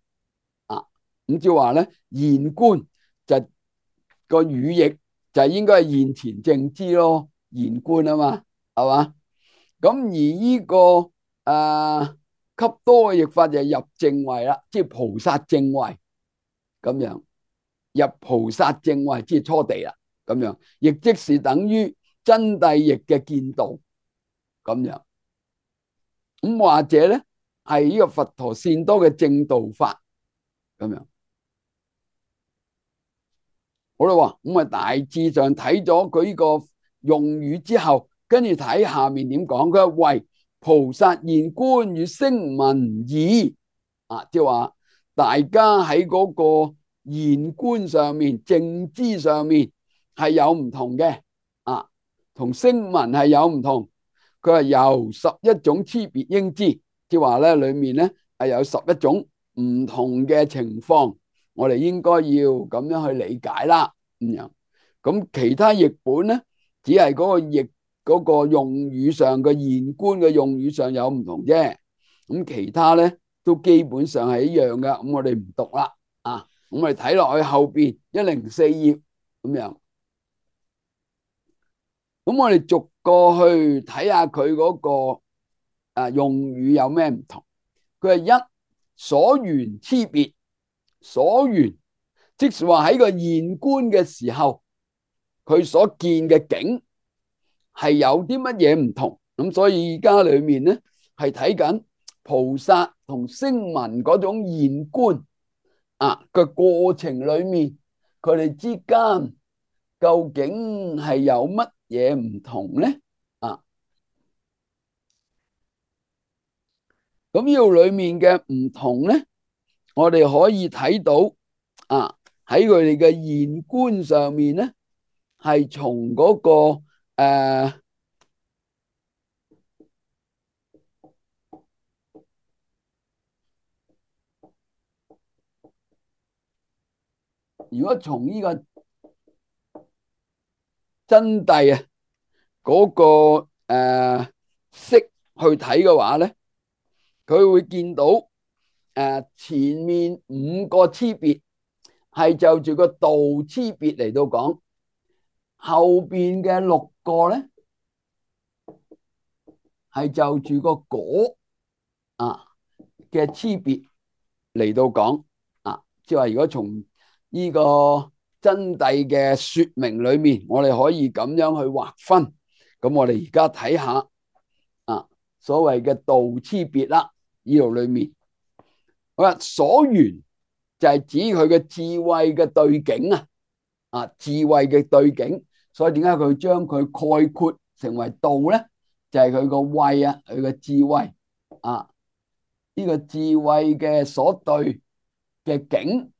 啊。咁即係話咧，現觀就個語譯就應該係現前正知咯，現觀啊嘛，係嘛？咁而呢個笈多嘅譯法就係入正位啦，即係菩薩正位咁樣，入菩薩正位即係初地啦，咁樣亦即是等於真諦譯嘅見道咁樣。咁或者咧係呢個佛陀善多嘅正道法咁樣。好啦，咁啊大致上睇咗佢呢個用語之後，跟住睇下面點講。佢話為菩薩現觀與聲聞異啊，即係話大家喺嗰個現觀上面、正知上面係有唔同嘅啊，同聲聞係有唔同。佢話由11種差別應知，即係話咧裏面咧係有11種唔同嘅情況，我哋應該要咁樣去理解啦。咁樣，咁其他譯本咧，只係嗰個譯嗰個用語上嘅現觀嘅用語上有唔同啫。咁其他咧都基本上係一樣嘅。咁我哋唔讀啦啊。咁我哋睇落去後邊104頁咁樣。咁我哋逐個去睇下佢嗰個用語有咩唔同。佢係一所緣差別，所緣即是話喺個現觀嘅時候，佢所見嘅景係有啲乜嘢唔同。咁所以而家裏面咧係睇緊菩薩同聲聞嗰種現觀嘅過程裏面，佢哋之間究竟係有乜嘢唔同咧？咁呢度裏面嘅唔同咧，我哋可以睇到喺佢哋嘅現觀上面咧，係從嗰個如果從呢個真諦嗰個識去睇嘅話咧，佢會見到前面5個差別係就住個道差別嚟到講，後邊嘅6個咧係就住個果嘅差別嚟到講即係話如果從呢個真諦嘅說明裏面，我哋可以咁樣去劃分。咁我哋而家睇下所謂嘅道差別啦，呢度裏面好啦，所緣就係指佢嘅智慧嘅對境智慧嘅對境。所以點解佢將佢概括成為道咧？就係佢個慧佢嘅智慧呢個智慧嘅所對嘅境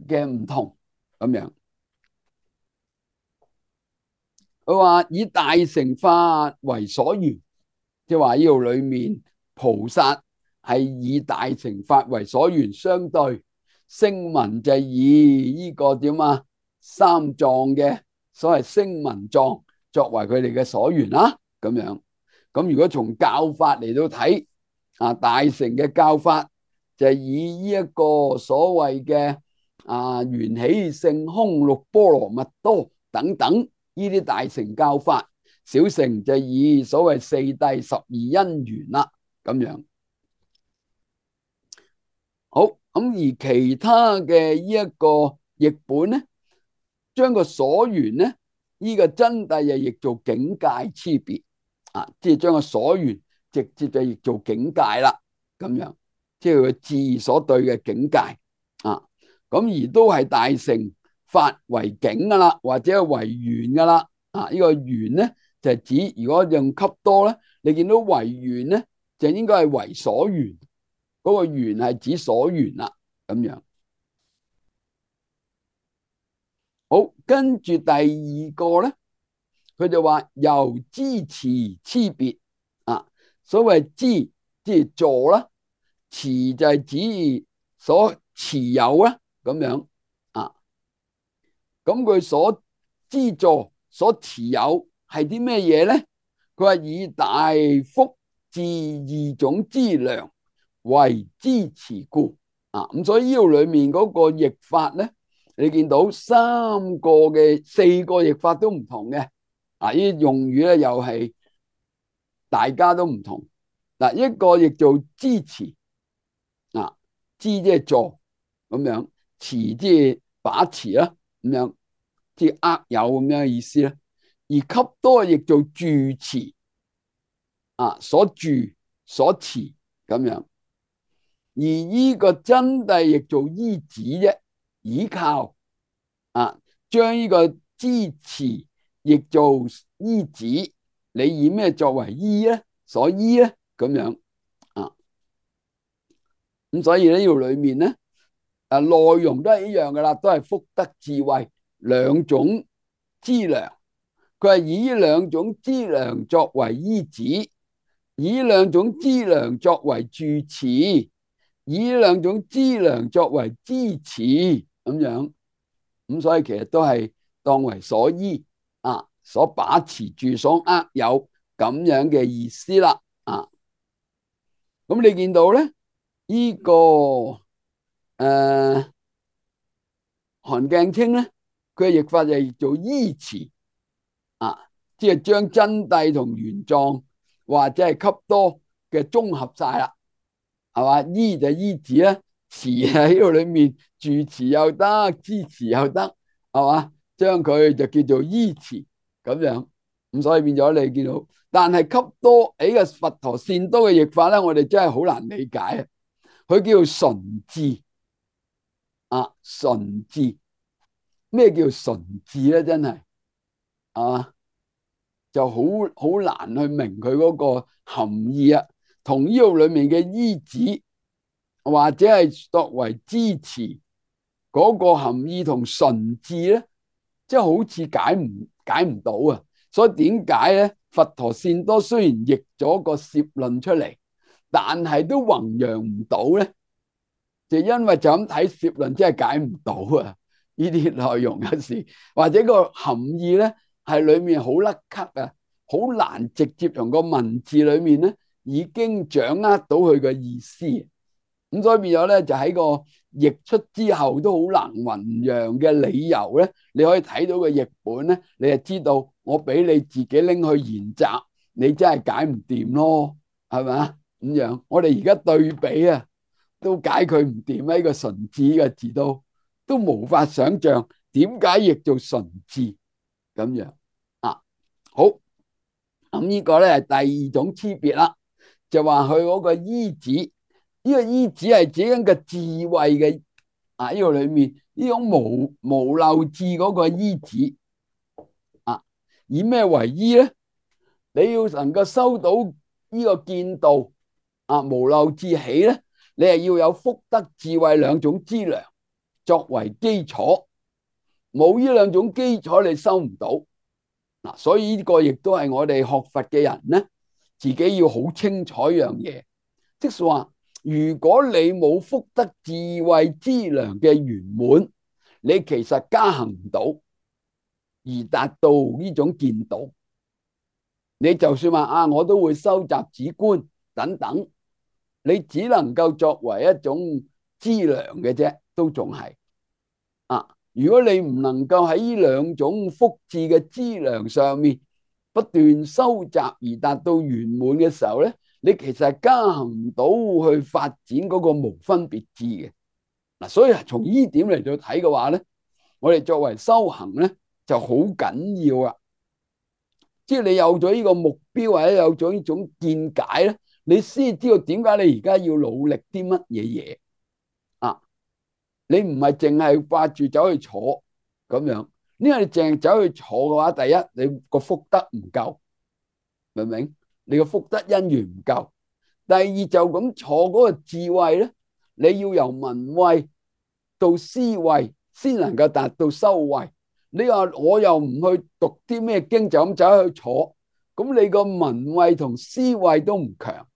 嘅唔同咁樣。佢話以大乘法為所緣，即係話呢度裏面菩薩係以大乘法為所緣，相對聲聞就以呢個點三藏嘅所謂聲聞藏作為佢哋嘅所緣咁樣。咁如果從教法嚟到睇大乘嘅教法就係以呢一個所謂嘅緣起性空六波羅蜜多等等呢啲大乘教法，小乘就以所謂四諦12因緣啦咁樣。好，咁而其他嘅呢一個譯本咧，將個所緣咧呢個真諦就譯做境界差別即係將個所緣直接就譯做境界啦咁樣，即係佢智所對嘅境界咁而都係大乘法為境噶啦，或者係為緣噶啦呢個緣咧就係指如果用笈多咧，你見到為緣咧就應該係為所緣，嗰個緣係指所緣啦，咁樣。好，跟住第二個咧，佢就話由支持差別啊，所謂支即係助啦，持就係指所持有啦，咁樣啊。咁佢所資助、所持有係啲咩嘢咧？佢話以大福至二種資糧為支持故啊。咁所以呢度裏面嗰個譯法咧，你見到四個譯法都唔同嘅啊。呢啲用語咧又係大家都唔同嗱。一個譯做支持啊，支即係助咁樣，持即係把持啦，咁樣。即係握有咁樣嘅意思咧，而給多亦做住持啊，所住所持咁樣，而依個真諦亦做依止啫，依靠啊，將呢個支持亦做依止，你以咩作為依咧？所依咧咁樣啊，咁所以呢條裏面咧，內容都係一樣噶啦，都係福德智慧兩種資糧。佢係以呢兩種資糧作為依止，以呢兩種資糧作為住持，以呢兩種資糧作為支持咁樣。咁所以其實都係當為所依啊，所把持住、所握有咁樣嘅意思啦啊。咁你見到咧，呢個韓鏡清咧，佢嘅譯法就係做依持啊，即係將真諦同原狀或者係給多嘅綜合晒啦，係嘛？依就依止啦，持喺呢度裏面住持又得，支持又得，係嘛？將佢就叫做依持咁樣，咁所以變咗你見到，但係給多呢個佛陀善多嘅譯法咧，我哋真係好難理解啊！佢叫純智啊，純智，咩叫純智咧？真係啊！就好難去明佢嗰個含義啊，同呢度裏面嘅依止或者係作為支持嗰個含義同純智咧，即係好似解唔到啊！所以點解咧？佛陀善多雖然譯咗個攝論出嚟，但係都弘揚唔到咧，就因為就咁睇攝論，真係解唔到啊！呢啲內容有時或者個含義咧，係裏面好甩咳啊，好難直接從個文字裏面咧已經掌握到佢嘅意思。咁所以變咗咧，就喺個譯出之後都好難弘揚嘅理由咧，你可以睇到個譯本咧，你就知道我俾你自己拎去研習，你真係解唔掂咯，係咪啊？咁樣我哋而家對比啊，都解佢唔掂，呢個純智嘅字都無法想象點解譯做純智咁樣啊。好，咁呢個咧係第二種區別啦，就話佢嗰個依止，呢個依止係指緊個智慧嘅啊，呢個裏面呢種無漏智嗰個依止啊，以咩為依咧？你要能夠收到呢個見道啊，無漏智起咧，你係要有福德智慧兩種資糧作為基礎，冇呢兩種基礎你收唔到嗱。所以呢個亦都係我哋學佛嘅人咧，自己要好清楚一樣嘢，即係話如果你冇福德智慧資糧嘅圓滿，你其實加行唔到而達到呢種見道。你就算話啊，我都會收集止觀等等，你只能夠作為一種資糧嘅啫，都仲係啊。如果你唔能夠喺呢兩種福智嘅資糧上面不斷收集而達到圓滿嘅時候咧，你其實係加行唔到去發展嗰個無分別智嘅嗱。所以從呢點嚟到睇嘅話咧，我哋作為修行咧就好緊要啊。即係你有咗呢個目標或者有咗呢種見解咧，你先知道點解你而家要努力啲乜嘢嘢啊？你唔係淨係掛住走去坐咁樣，因為你淨係走去坐嘅話，第一你個福德唔夠，明唔明？你個福德因緣唔夠。第二就咁坐嗰個智慧咧，你要由聞慧到思慧先能夠達到修慧。你話我又唔去讀啲咩經，就咁走去坐，咁你個聞慧同思慧都唔強，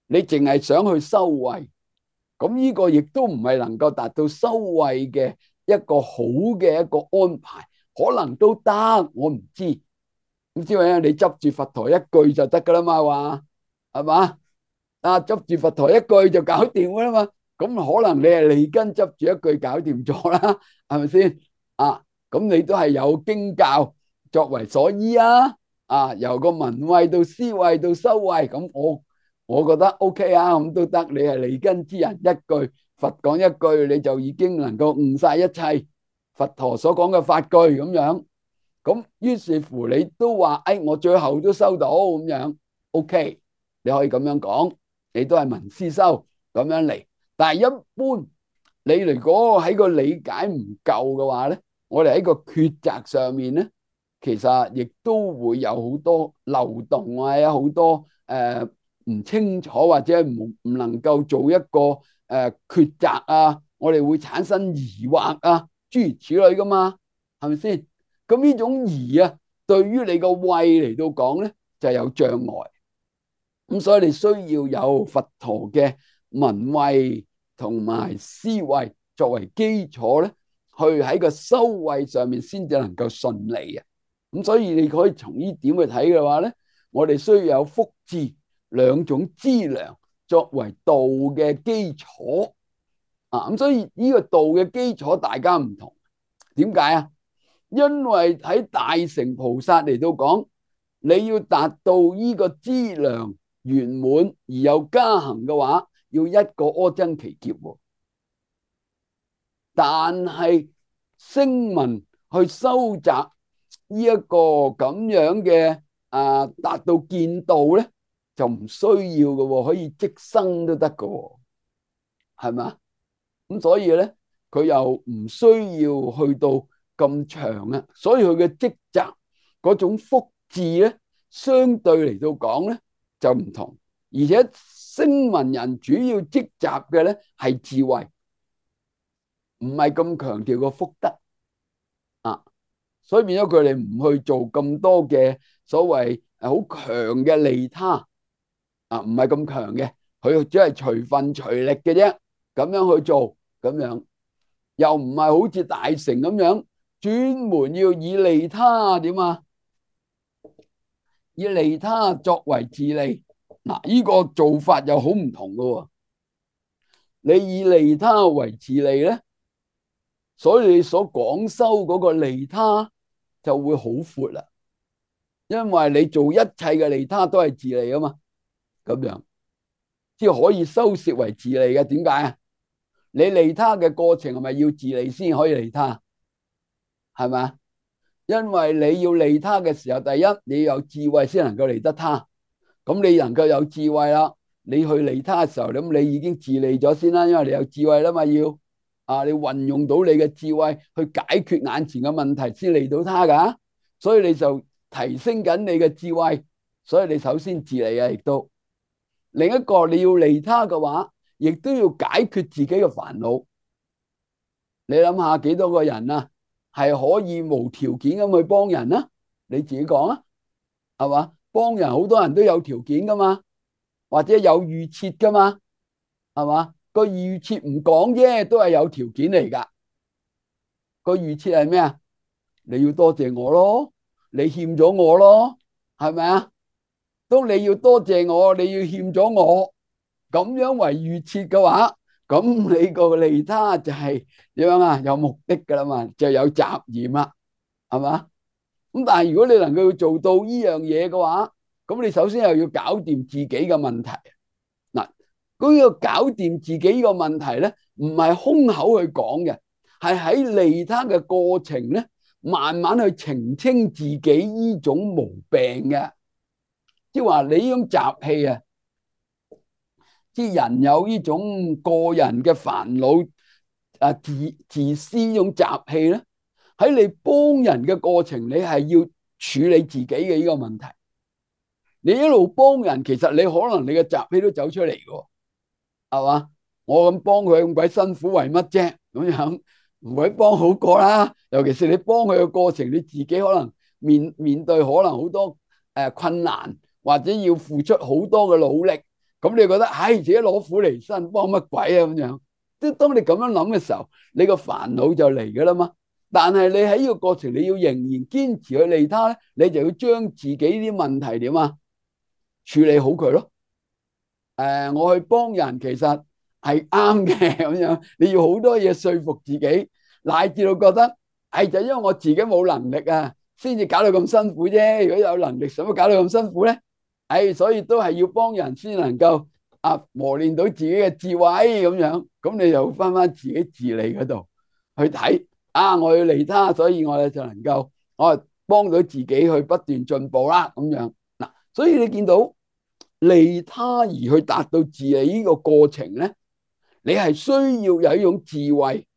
你淨係想去修慧，咁呢個亦都唔係能夠達到修慧嘅一個好嘅一個安排，可能都得，我唔知。咁之後你執住佛陀一句就得噶啦嘛，話係嘛？執住佛陀一句就搞掂噶啦嘛。咁可能你係利根執住一句搞掂咗啦，係咪先？咁你都係有經教作為所依啊。由個聞慧到思慧到修慧，咁我覺得 OK 啊，咁都得。你係利根之人，一句佛講一句，你就已經能夠悟晒一切佛陀所講嘅法句咁樣。咁於是乎你都話，我最後都收到咁樣 OK， 你可以咁樣講，你都係聞思修咁樣嚟。但係一般你如果喺個理解唔夠嘅話咧，我哋喺個抉擇上面咧，其實亦都會有好多漏洞啊，有好多唔清楚或者唔能夠做一個抉擇啊，我哋會產生疑惑啊，諸如此類噶嘛，係咪先？咁呢種疑啊，對於你個慧嚟到講咧，就有障礙。咁所以你需要有佛陀嘅聞慧同埋思慧作為基礎咧，去喺個修慧上面先至能夠順利啊。咁所以你可以從呢點去睇嘅話咧，我哋需要有福智兩種資糧作為道嘅基礎啊。咁所以呢個道嘅基礎大家唔同，點解啊？因為喺大乘菩薩嚟到講，你要達到呢個資糧圓滿而有加行嘅話，要一個阿僧祇劫。但係聲聞去收集呢一個咁樣嘅達到見道咧，就唔需要嘅，可以即生都得嘅，係咪？咁所以咧，佢又唔需要去到咁長啊，所以佢嘅積集嗰種福智咧，相對嚟到講咧就唔同，而且聲聞人主要積集嘅咧係智慧，唔係咁強調個福德啊，所以變咗佢哋唔去做咁多嘅所謂好強嘅利他啊，唔係咁強嘅，佢只係隨分隨力嘅啫，咁樣去做，咁樣又唔係好似大乘咁樣專門要以利他點啊？以利他作為自利，嗱，呢個做法又好唔同噶。你以利他為自利咧，所以你所廣修嗰個利他就會好闊啦，因為你做一切嘅利他都係自利啊嘛，咁樣即係可以收攝為自利嘅。點解啊？你利他嘅過程係咪要自利先可以利他？係咪？因為你要利他嘅時候，第一你要有智慧先能夠利得他。咁你能夠有智慧啦，你去利他嘅時候，咁你已經自利咗先啦，因為你有智慧啦嘛，要你運用到你嘅智慧去解決眼前嘅問題先利到他噶，所以你就提升緊你嘅智慧，所以你首先自利啊，亦都另一個你要利他嘅話，亦都要解決自己嘅煩惱。你諗下幾多個人啊，係可以無條件咁去幫人啊？你自己講啊，係嘛？幫人好多人都有條件噶嘛，或者有預設噶嘛，係嘛？個預設唔講啫，都係有條件嚟噶。個預設係咩啊？你要多謝我咯，你欠咗我咯，係咪啊？當你要多謝我，你要欠咗我，咁樣為預設嘅話，咁你個利他就係點樣啊？有目的噶啦嘛，就有雜染啦，係嘛？咁但係如果你能夠做到呢樣嘢嘅話，咁你首先又要搞掂自己嘅問題。嗱，嗰個搞掂自己個問題咧，唔係空口去講嘅，係喺利他嘅過程咧，慢慢去澄清自己呢種毛病嘅。即係話你呢種習氣啊，即係人有呢種個人嘅煩惱自私呢種習氣咧，喺你幫人嘅過程，你係要處理自己嘅呢個問題。你一路幫人，其實你可能你嘅習氣都走出嚟嘅，係嘛？我咁幫佢咁鬼辛苦為乜啫？咁樣唔鬼幫好過啦。尤其是你幫佢嘅過程，你自己可能面對可能好多困難，或者要付出好多嘅努力。咁你覺得唉，自己攞苦嚟辛，幫乜鬼啊咁樣？即係當你咁樣諗嘅時候，你個煩惱就嚟噶啦嘛。但係你喺呢個過程，你要仍然堅持去利他咧，你就要將自己啲問題點啊處理好佢咯。我去幫人其實係啱嘅咁樣，你要好多嘢說服自己，乃至到覺得係就因為我自己冇能力啊，先至搞到咁辛苦啫。如果有能力，使乜搞到咁辛苦咧？所以都係要幫人先能夠磨練到自己嘅智慧咁樣。咁你就翻自己自利嗰度去睇我要利他，所以我哋就能夠我幫到自己去不斷進步啦咁樣嗱。所以你見到利他而去達到自利呢個過程咧，你係需要有一種智慧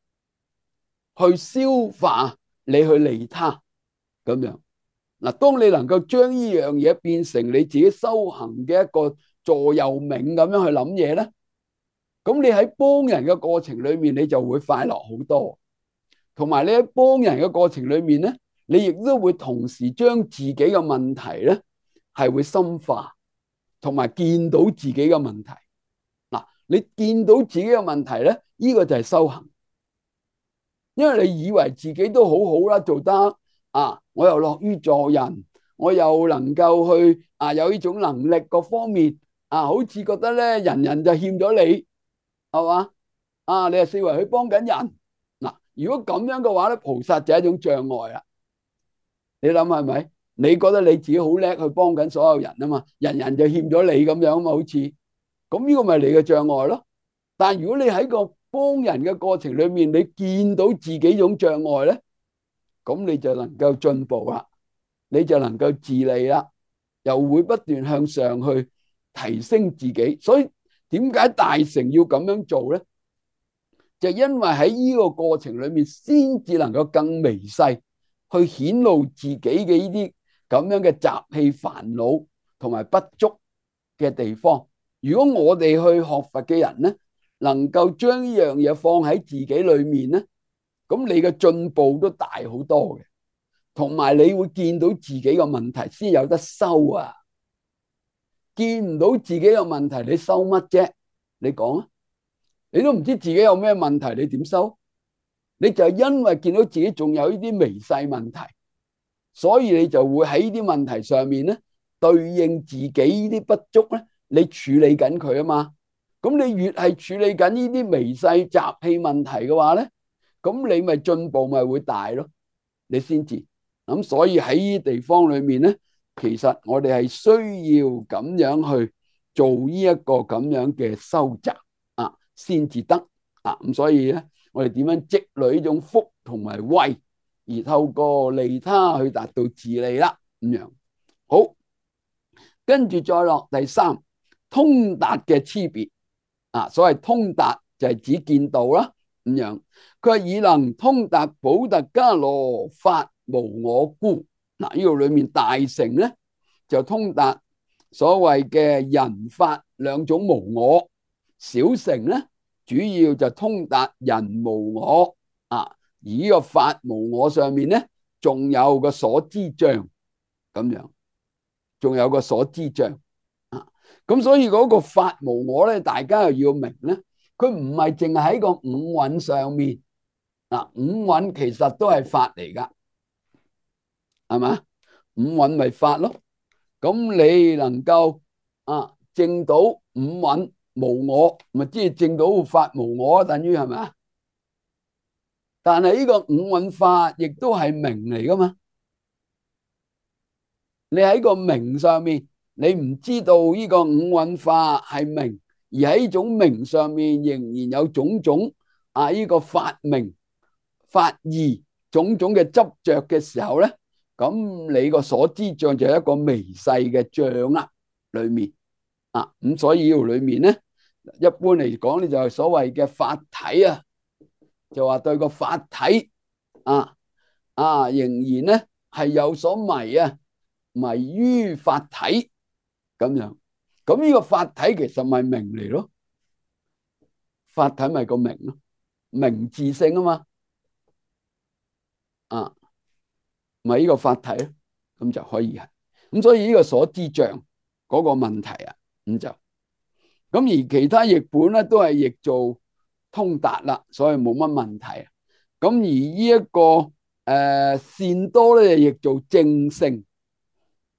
去消化你去利他咁樣嗱。當你能夠將呢樣嘢變成你自己修行嘅一個座右銘咁樣去諗嘢咧，咁你喺幫人嘅過程裏面，你就會快樂好多。同埋你喺幫人嘅過程裏面咧，你亦都會同時將自己嘅問題咧係會深化，同埋見到自己嘅問題嗱。你見到自己嘅問題咧，呢個就係修行。因為你以為自己都好好啦，做得我又樂於助人，我又能夠去有呢種能力各方面好似覺得咧人人就欠咗你，係嘛？你係四圍去幫緊人嗱。如果咁樣嘅話咧，菩薩就係一種障礙啦。你諗係咪？你覺得你自己好叻去幫緊所有人啊嘛，人人就欠咗你咁樣啊嘛，好似咁呢個咪你嘅障礙咯。但係如果你喺個幫人嘅過程裏面，你見到自己種障礙咧，咁你就能夠進步啦，你就能夠自利啦，又會不斷向上去提升自己。所以點解大乘要咁樣做咧？就因為喺呢個過程裏面，先至能夠更微細去顯露自己嘅呢啲咁樣嘅習氣煩惱同埋不足嘅地方。如果我哋去學佛嘅人咧，能夠將呢樣嘢放喺自己裏面咧，咁你嘅進步都大好多嘅。同埋你會見到自己嘅問題先有得收啊！見唔到自己嘅問題，你收乜啫？你講啊！你都唔知自己有咩問題，你點收？你就係因為見到自己仲有呢啲微細問題，所以你就會喺呢啲問題上面咧，對應自己呢啲不足咧，你處理緊佢啊嘛。咁你越係處理緊呢啲微細習氣問題嘅話咧，咁你咪進步咪會大咯，你先至。咁所以喺呢啲地方裏面咧，其實我哋係需要咁樣去做呢一個咁樣嘅修習先至得咁所以咧，我哋點樣積累呢種福同埋慧，而透過利他去達到自利啦咁樣。好，跟住再落第三，通達嘅差別所謂通達就係指見道啦咁樣。佢話以能通達補特伽羅法無我故嗱，呢度裏面大乘咧就通達所謂嘅人法兩種無我，小乘咧主要就通達人無我而呢個法無我上面咧仲有個所知障咁樣，仲有個所知障咁所以嗰個法無我咧，大家又要明咧，佢唔係淨係喺個五蘊上面五蘊其實都係法嚟噶，係嘛？五蘊咪法咯。咁你能夠證到五蘊無我，咪即係證到法無我，等於係咪？但係呢個五蘊法亦都係名嚟噶嘛？你喺個名上面，你唔知道呢個五蘊法係名，而喺呢種名上面仍然有種種呢個法名、法義種種嘅執着嘅時候咧，咁你個所知障就係一個微細嘅障裏面咁所以呢度裏面咧，一般嚟講咧就係所謂嘅法體就話對個法體仍然咧係有所迷迷於法體咁樣。咁呢個法體其實咪名嚟咯，法體咪個名咯，名自性啊嘛，啊，咪呢個法體咯，咁就可以係。咁所以呢個所知障嗰個問題啊，咁就咁而其他譯本咧都係譯做通達啦，所以冇乜問題啊。咁而呢一個善多咧就譯做證性，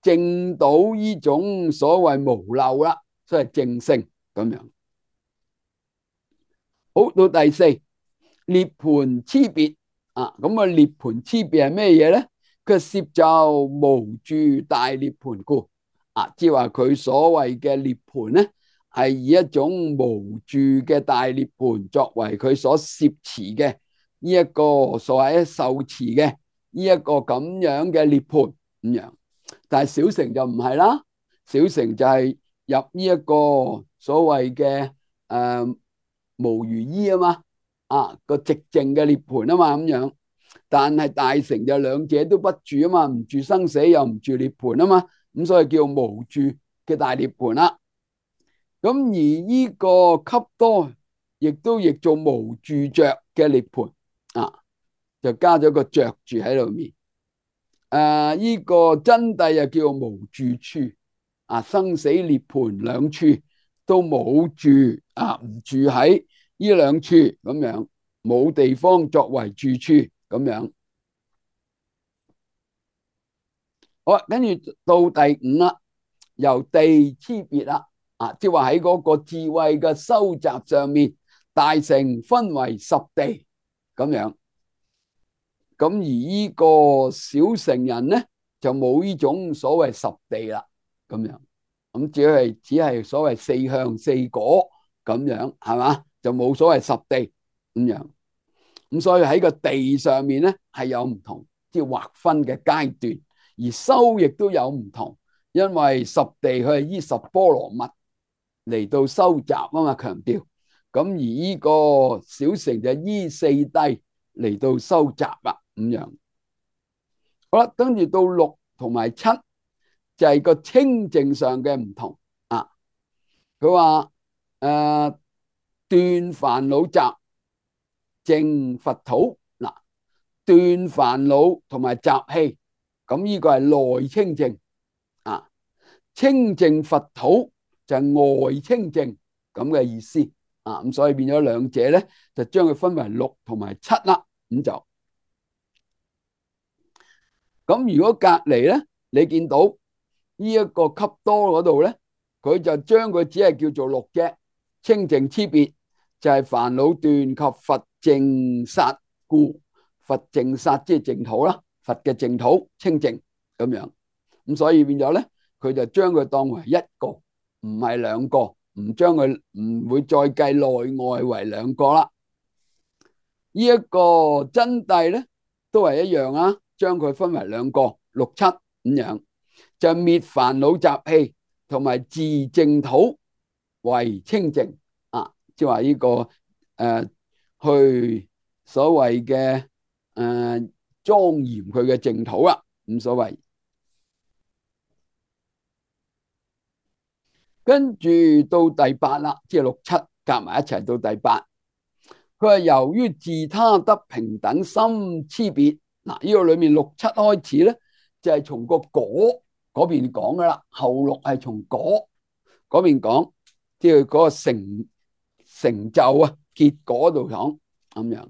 證到呢種所謂無漏啦，所以證性咁樣。好，到第四涅槃差別啊，咁啊涅槃差別係咩嘢咧？佢攝就無住大涅槃故啊，即係話佢所謂嘅涅槃咧，係以一種無住嘅大涅槃作為佢所攝持嘅呢一個所謂受持嘅呢一個咁樣嘅涅槃咁樣。但係小乘就唔係啦，小乘就係入呢一個所謂嘅無餘依啊嘛，啊個寂靜嘅涅槃啊嘛咁樣。但係大乘就兩者都不住啊嘛，唔住生死又唔住涅槃啊嘛，咁所以叫無住嘅大涅槃啦。咁而呢個笈多亦都譯做無住着嘅涅槃啊，就加咗個着住喺裏面。呢個真諦又叫無住處啊，生死涅槃兩處都冇住啊，唔住喺呢兩處咁樣，冇地方作為住處咁樣。好啦，跟住到第五啦，由地差別啦，啊，即係話喺嗰個智慧嘅收集上面，大乘分為十地咁樣。咁而呢個小乘人咧就冇呢種所謂十地啦，咁樣咁只係所謂四向四果咁樣係嘛，就冇所謂十地咁樣。咁所以喺個地上面咧係有唔同即係劃分嘅階段，而修亦都有唔同，因為十地佢係依十波羅蜜嚟到收集啊嘛，強調。咁而呢個小乘就依四諦嚟到收集啦。咁樣好啦，跟住到六同埋七就係個清淨上嘅唔同啊。佢話斷煩惱集淨佛土嗱，斷煩惱同埋習氣，咁呢個係內清淨啊。清淨佛土就係外清淨咁嘅意思啊。咁所以變咗兩者咧，就將佢分為六同埋七啦。咁就。咁如果隔籬咧，你見到呢一個笈多嗰度咧，佢就將佢只係叫做六啫，清淨差別就係煩惱斷及佛淨剎故，佛淨剎即係淨土啦，佛嘅淨土清淨咁樣。咁所以變咗咧，佢就將佢當為一個，唔係兩個，唔將佢唔會再計內外為兩個啦。呢一個真諦咧都係一樣啊。將佢分為兩個六七咁樣，就滅煩惱習氣同埋自淨土為清淨啊，即係話呢個去所謂嘅莊嚴佢嘅淨土啦，咁所謂。跟住到第八啦，即係六七夾埋一齊到第八，佢話由於自他得平等心差別。嗱，呢個裏面六七開始咧，就係從個果嗰邊講噶啦，後六係從果嗰邊講，即係嗰個成就啊，結果度講咁樣。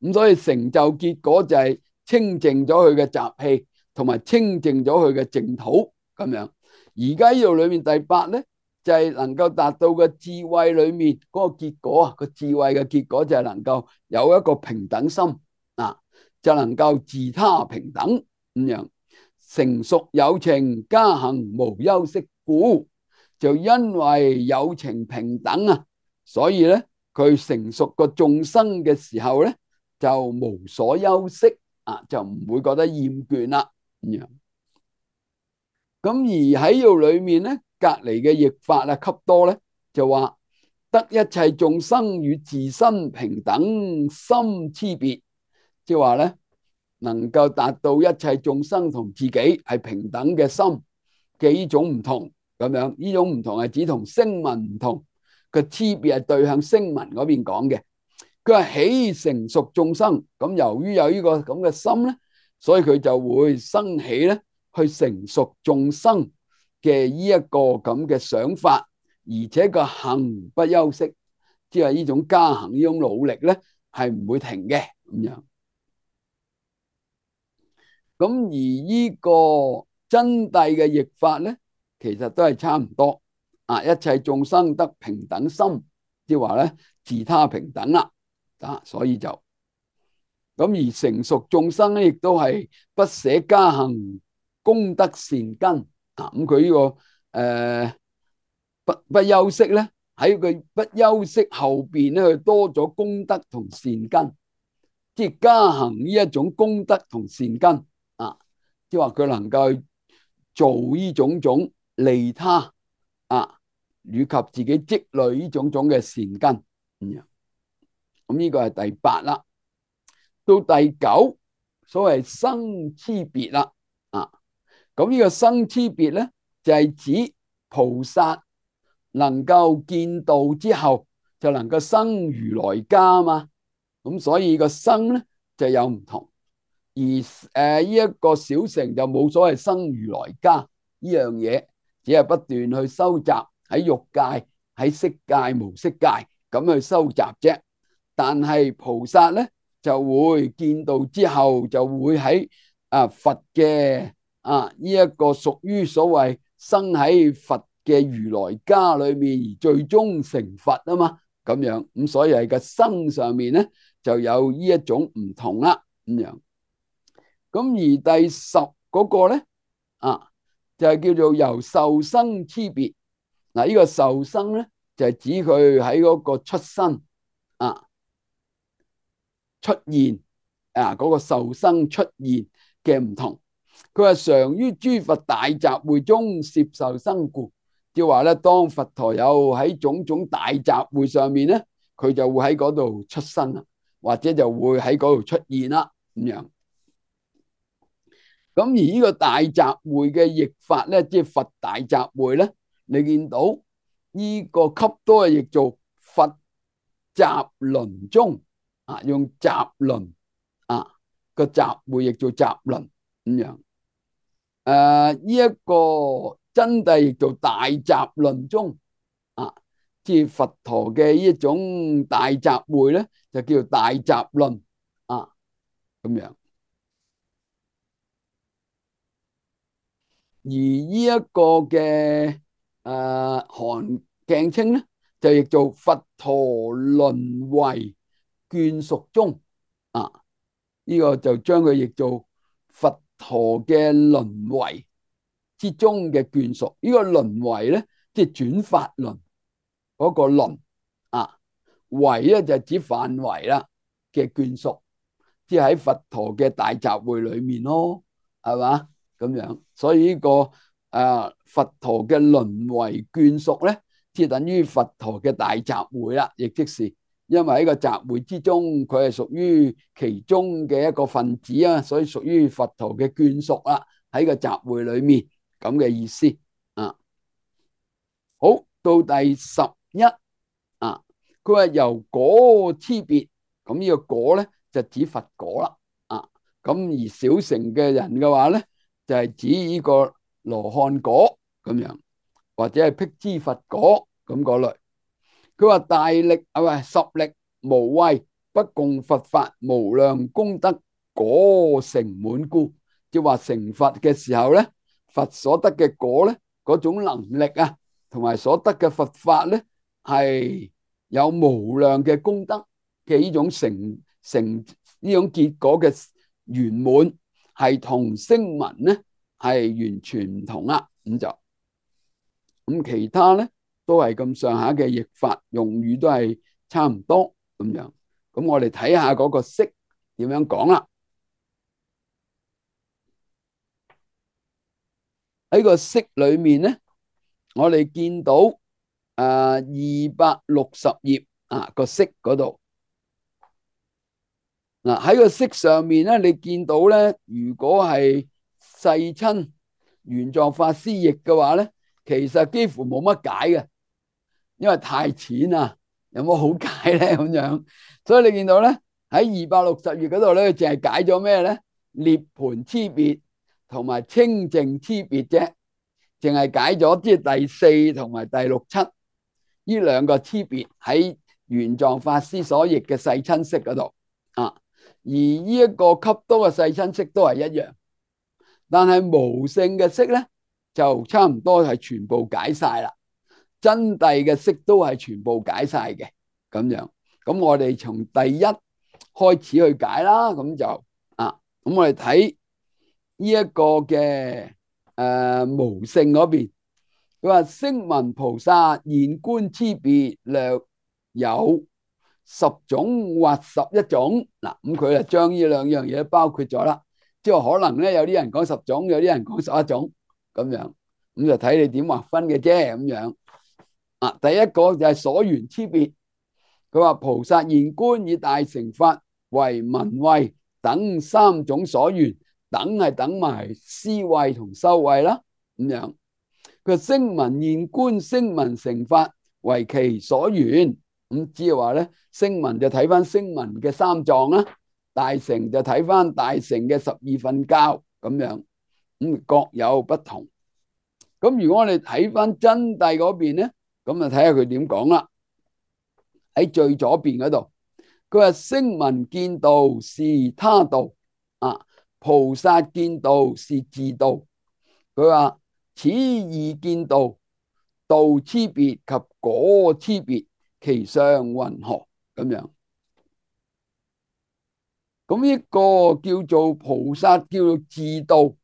咁所以成就結果就係清淨咗佢嘅習氣，同埋清淨咗佢嘅淨土咁樣。而家呢度裏面第八咧，就係能夠達到個智慧裏面嗰個結果啊，個智慧嘅結果就係能夠有一個平等心啊。就能夠自他平等咁樣，成熟有情加行無休息故，就因為有情平等啊，所以咧佢成熟個眾生嘅時候咧就無所休息啊，就唔會覺得厭倦啦咁樣。咁而喺度裏面咧，隔籬嘅譯法啊，笈多咧就話得一切眾生與自身平等心差別。即係話咧，能夠達到一切眾生同自己係平等嘅心嘅呢種唔同咁樣。呢種唔同係指同聲聞唔同，個差別係對向聲聞嗰邊講嘅。佢話喜成熟眾生，咁由於有呢個咁嘅心咧，所以佢就會生起咧去成熟眾生嘅呢一個咁嘅想法，而且個行不休息，即係呢種加行呢種努力咧係唔會停嘅咁樣。咁而呢個真諦嘅譯法咧，其實都係差唔多啊！一切眾生得平等心，即係話咧自他平等啦啊！所以就咁而成熟眾生咧，亦都係不捨加行功德善根啊！咁佢呢個不休息咧，喺佢不休息後邊咧，佢多咗功德同善根，即係加行呢一種功德同善根啊！即係話佢能夠做呢種種利他啊，以及自己積累呢種種嘅善根咁樣。咁呢個係第八啦。到第九，所謂生差別啦啊。咁呢個生差別咧，就係指菩薩能夠見道之後，就能夠生如來家嘛。咁所以個生咧就有唔同。而呢一個小乘就冇所謂生如來家呢樣嘢，只係不斷去收集喺欲界、喺色界、無色界咁去收集啫。但係菩薩咧就會見道之後，就會喺佛嘅呢一個屬於所謂生喺佛嘅如來家裏面，而最終成佛啊嘛。咁樣咁，所以係個生上面咧就有呢一種唔同啦咁樣。咁而第十嗰個咧就係叫做由受生差別。嗱，呢個受生咧就係指佢喺嗰個出生出現嗰個受生出現嘅唔同。佢話常於諸佛大集會中攝受生故，即係話咧，當佛陀有喺種種大集會上面咧，佢就會喺嗰度出生啦，或者就會喺嗰度出現啦咁樣。咁而呢個大集會嘅譯法咧，即係佛大集會咧，你見到呢個笈多係譯做佛集輪中用集輪個集會譯做集輪咁樣。呢一個真諦譯做大集輪中即係佛陀嘅呢一種大集會咧，就叫做大集輪咁樣。而呢一個嘅韓鏡稱咧，就譯做佛陀輪為眷屬中呢個就將佢譯做佛陀嘅輪為之中嘅眷屬。呢個輪為咧，即係轉法輪嗰個輪為咧就指範圍啦嘅眷屬，即係喺佛陀嘅大集會裏面咯，係嘛？咁樣，所以呢個佛陀嘅輪為眷屬咧，即係等於佛陀嘅大集會啦，亦即是因為喺個集會之中，佢係屬於其中嘅一個分子啊，所以屬於佛陀嘅眷屬啦，喺個集會裏面咁嘅意思好，到第11佢話由果差別，咁呢個果咧就指佛果啦咁而小乘嘅人嘅話咧，就係指呢個羅漢果咁樣，或者係辟支佛果咁嗰類。佢話大力十力無畏，不共佛法無量功德果成滿故，即係話成佛嘅時候咧，佛所得嘅果咧，嗰種能力同埋所得嘅佛法咧，係有無量嘅功德嘅呢種成呢種結果嘅圓滿，係同聲聞咧係完全唔同啦。咁其他咧都係咁上下嘅譯法，用語都係差唔多咁樣。咁我哋睇下嗰個釋點樣講啦。喺個釋裏面咧，我哋見到260頁個釋嗰度喺個釋上面咧，你見到咧，如果係世親玄奘法師譯嘅話咧，其實幾乎冇乜解嘅，因為太淺啦，有冇好解咧咁樣？所以你見到咧喺260頁嗰度咧，淨係解咗咩咧？涅槃差別同埋清淨差別啫，淨係解咗即係第4同埋第67呢兩個差別喺玄奘法師所譯嘅世親釋嗰度啊。而呢一個笈多嘅世親釋都係一樣，但係無性嘅釋咧就差唔多係全部解晒啦。真諦嘅釋都係全部解晒嘅咁樣。咁我哋從第一開始去解啦。咁就咁我哋睇呢一個嘅無性嗰邊，佢話聲聞菩薩現觀差別略有10種或11種。嗱，咁佢就將呢兩樣嘢包括咗啦。即係可能咧，有啲人講10種，有啲人講11種咁樣，咁就睇你點劃分嘅啫咁樣。第一個就係所緣差別，佢話菩薩現觀以大乘法為聞慧等3種所緣，等係等埋思慧同修慧啦咁樣。佢聲聞現觀聲聞乘法為其所緣，咁即係話咧，聲聞就睇翻聲聞嘅3藏啦，大乘就睇翻大乘嘅12分教咁樣，咁各有不同。咁如果我哋睇翻真諦嗰邊咧，咁就睇下佢點講啦。喺最左邊嗰度，佢話聲聞見道是他道，菩薩見道是自道。佢話此二見道，道差別及果差別，其相云何咁樣？咁一個叫做菩薩叫做自道，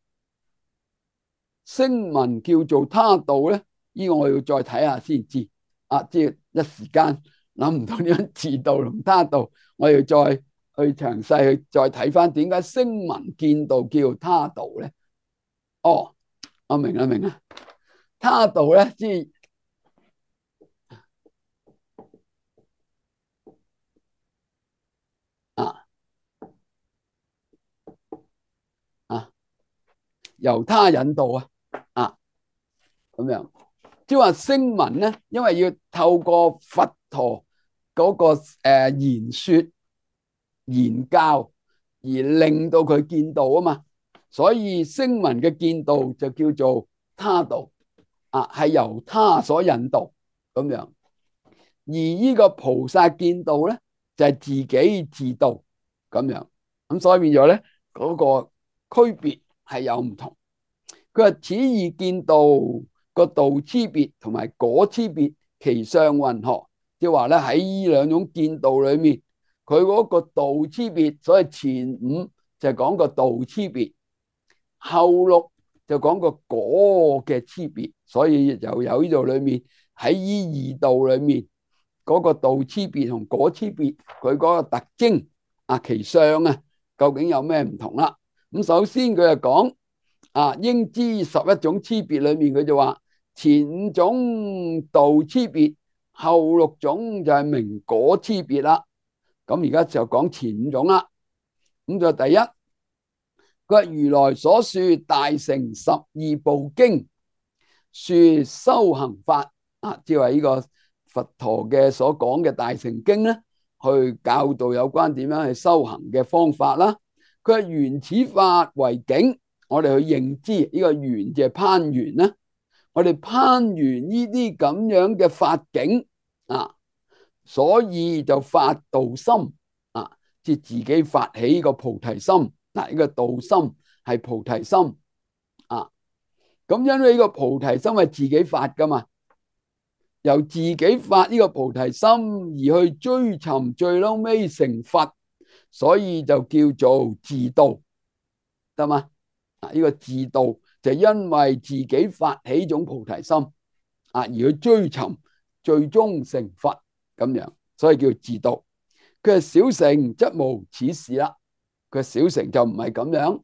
聲聞叫做他道咧，呢個我要再睇下先知。即係一時間諗唔到點樣自道同他道，我要再去詳細去再睇翻點解聲聞見道叫他道咧？哦，我明啦，他道咧即係由他引導咁樣。即係話聲聞咧，因為要透過佛陀嗰個言說言教而令到佢見道啊嘛，所以聲聞嘅見道就叫做他道係由他所引導咁樣。而呢個菩薩見道咧就係自己自道咁樣，咁所以變咗咧嗰個區別係有唔同。佢話此二見道個道差別同埋果差別，其相云何？即係話咧喺呢兩種見道裏面，佢嗰個道差別，所以前5就係講個道差別，後6就講個果嘅差別，所以又有呢度裏面喺呢2道裏面嗰個道差別同果差別，佢嗰個特徵其相究竟有咩唔同啦？咁首先佢就講應知11種差別裏面，佢就話前5種道差別，後6種就係明果差別啦。咁而家就講前5種啦。咁就第一，佢話如來所說大乘12部經，說修行法即係話呢個佛陀嘅所講嘅大乘經咧，去教導有關點樣去修行嘅方法啦。佢係緣此法為境，我哋去認知呢個緣就係攀緣啦。我哋攀緣呢啲咁樣嘅法境所以就發道心即係自己發起呢個菩提心。呢個道心係菩提心咁因為呢個菩提心係自己發噶嘛，由自己發呢個菩提心而去追尋最嬲尾成佛，所以就叫做自道，得嘛？呢個自道就因為自己發起種菩提心而去追尋最終成佛咁樣，所以叫自道。佢係小乘則無此事啦，佢小乘就唔係咁樣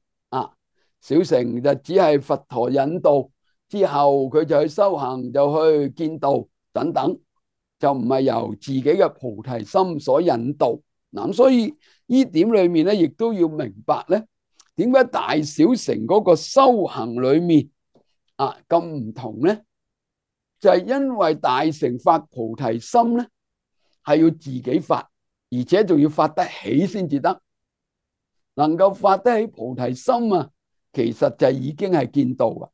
小乘就只係佛陀引導之後，佢就去修行，就去見道等等，就唔係由自己嘅菩提心所引導。咁所以呢點裏面咧，亦都要明白咧，點解大小乘嗰個修行裏面咁唔同咧？就係因為大乘發菩提心咧，係要自己發，而且仲要發得起先至得。能夠發得起菩提心啊，其實就已經係見道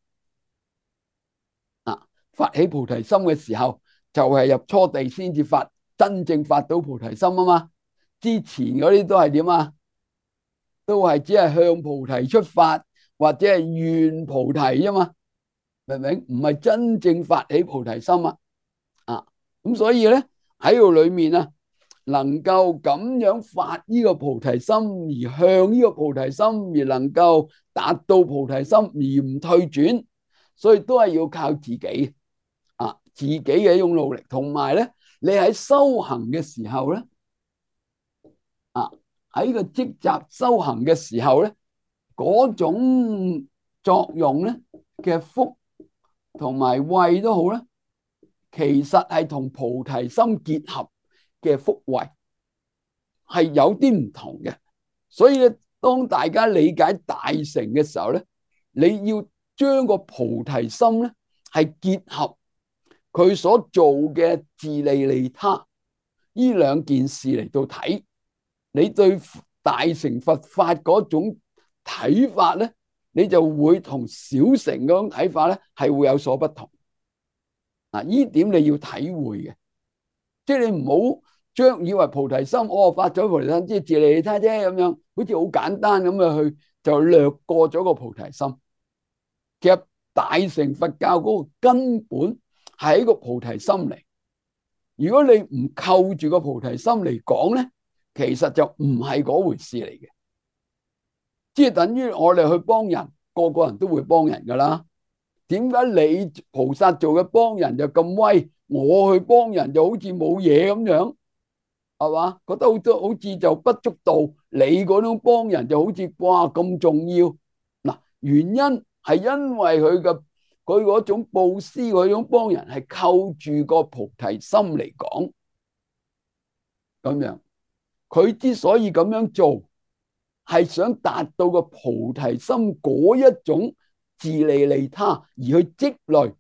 啊！發起菩提心嘅時候，就係入初地先至發，真正發到菩提心啊嘛。之前嗰啲都係點啊？都係只係向菩提出發，或者係願菩提啫嘛，明唔明？唔係真正發起菩提心啊！咁所以咧喺度裏面啊，能夠咁樣發呢個菩提心，而向呢個菩提心，而能夠達到菩提心而唔退轉，所以都係要靠自己自己嘅一種努力，同埋咧，你喺修行嘅時候咧，喺個積集修行嘅時候咧，嗰種作用咧嘅福同埋慧都好啦，其實係同菩提心結合嘅福慧係有啲唔同嘅。所以咧，當大家理解大乘嘅時候咧，你要將個菩提心咧係結合佢所做嘅自利利他呢兩件事嚟到睇，你對大乘佛法嗰種睇法咧，你就會同小乘嗰種睇法咧係會有所不同。呢點你要體會嘅，即係你唔好將以為菩提心，發咗菩提心即係自利利他啫，咁樣好似好簡單咁樣去就略過咗個菩提心。其實大乘佛教嗰個根本係一個菩提心嚟。如果你唔扣住個菩提心嚟講咧，其實就唔係嗰回事嚟嘅。即係等於我哋去幫人，個個人都會幫人噶啦。點解你菩薩做嘅幫人就咁威，我去幫人就好似冇嘢咁樣，係嘛？覺得好似就不足道。你嗰種幫人就好似哇咁重要。嗱，原因係因為佢嗰種布施，嗰種幫人係扣住個菩提心嚟講，咁樣佢之所以咁樣做，係想達到個菩提心嗰一種自利利他，而去積累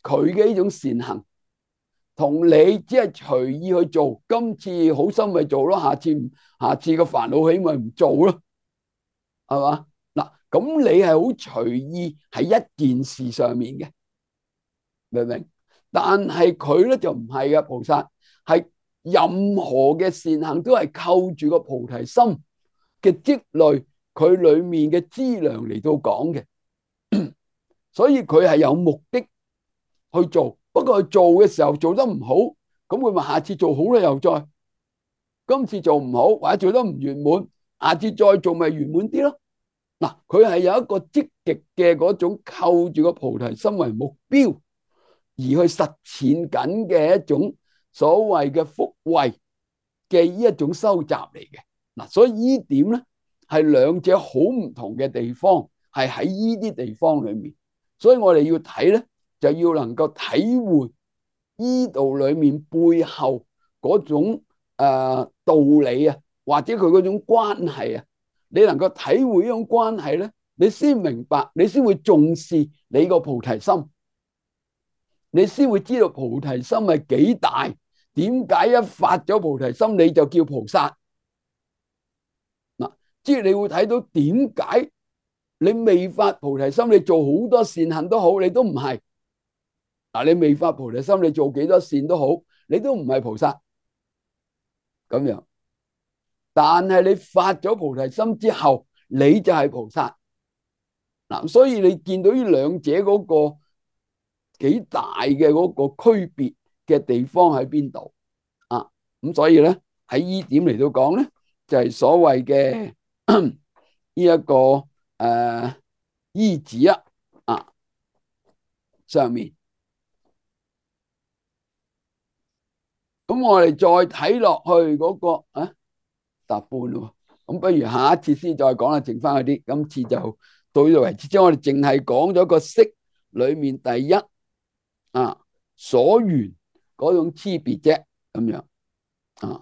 佢嘅呢種善行，同你只係隨意去做，今次好心咪做咯，下次個煩惱起咪唔做咯，係嘛？嗱，咁你係好隨意喺一件事上面嘅，明唔明？但係佢咧就唔係嘅，菩薩係任何嘅善行都係扣住個菩提心嘅積累，佢裏面嘅資糧嚟到講嘅，所以佢係有目的去做。不過佢做嘅時候做得唔好，咁佢咪下次做好啦，又再今次做唔好或者做得唔圓滿，下次再做咪圓滿啲咯。嗱，佢係有一個積極嘅嗰種扣住個菩提心為目標而去實踐緊嘅一種所謂嘅福慧嘅呢一種收集嚟嘅。嗱，所以呢點咧係兩者好唔同嘅地方，係喺呢啲地方裏面。所以我哋要睇咧，就要能夠體會呢度裏面背後嗰種道理啊，或者佢嗰種關係啊，你能夠體會呢種關係咧，你先明白，你先會重視你個菩提心，你先會知道菩提心係幾大。點解一發咗菩提心你就叫菩薩？嗱，即係你會睇到點解你未發菩提心，你做好多善行都好，你都唔係。嗱，你未發菩提心，你做幾多善都好，你都唔係菩薩咁樣。但係你發咗菩提心之後，你就係菩薩。嗱，所以你見到呢兩者嗰個幾大嘅嗰個區別嘅地方喺邊度啊？咁所以咧喺呢點嚟到講咧，就係所謂嘅呢一個依止上面。咁我哋再睇落去嗰個答半咯。咁不如下一次先再講啦，剩翻嗰啲，今次就到呢度為止。即係我哋淨係講咗個識裏面第一所緣嗰種差別啫，咁樣。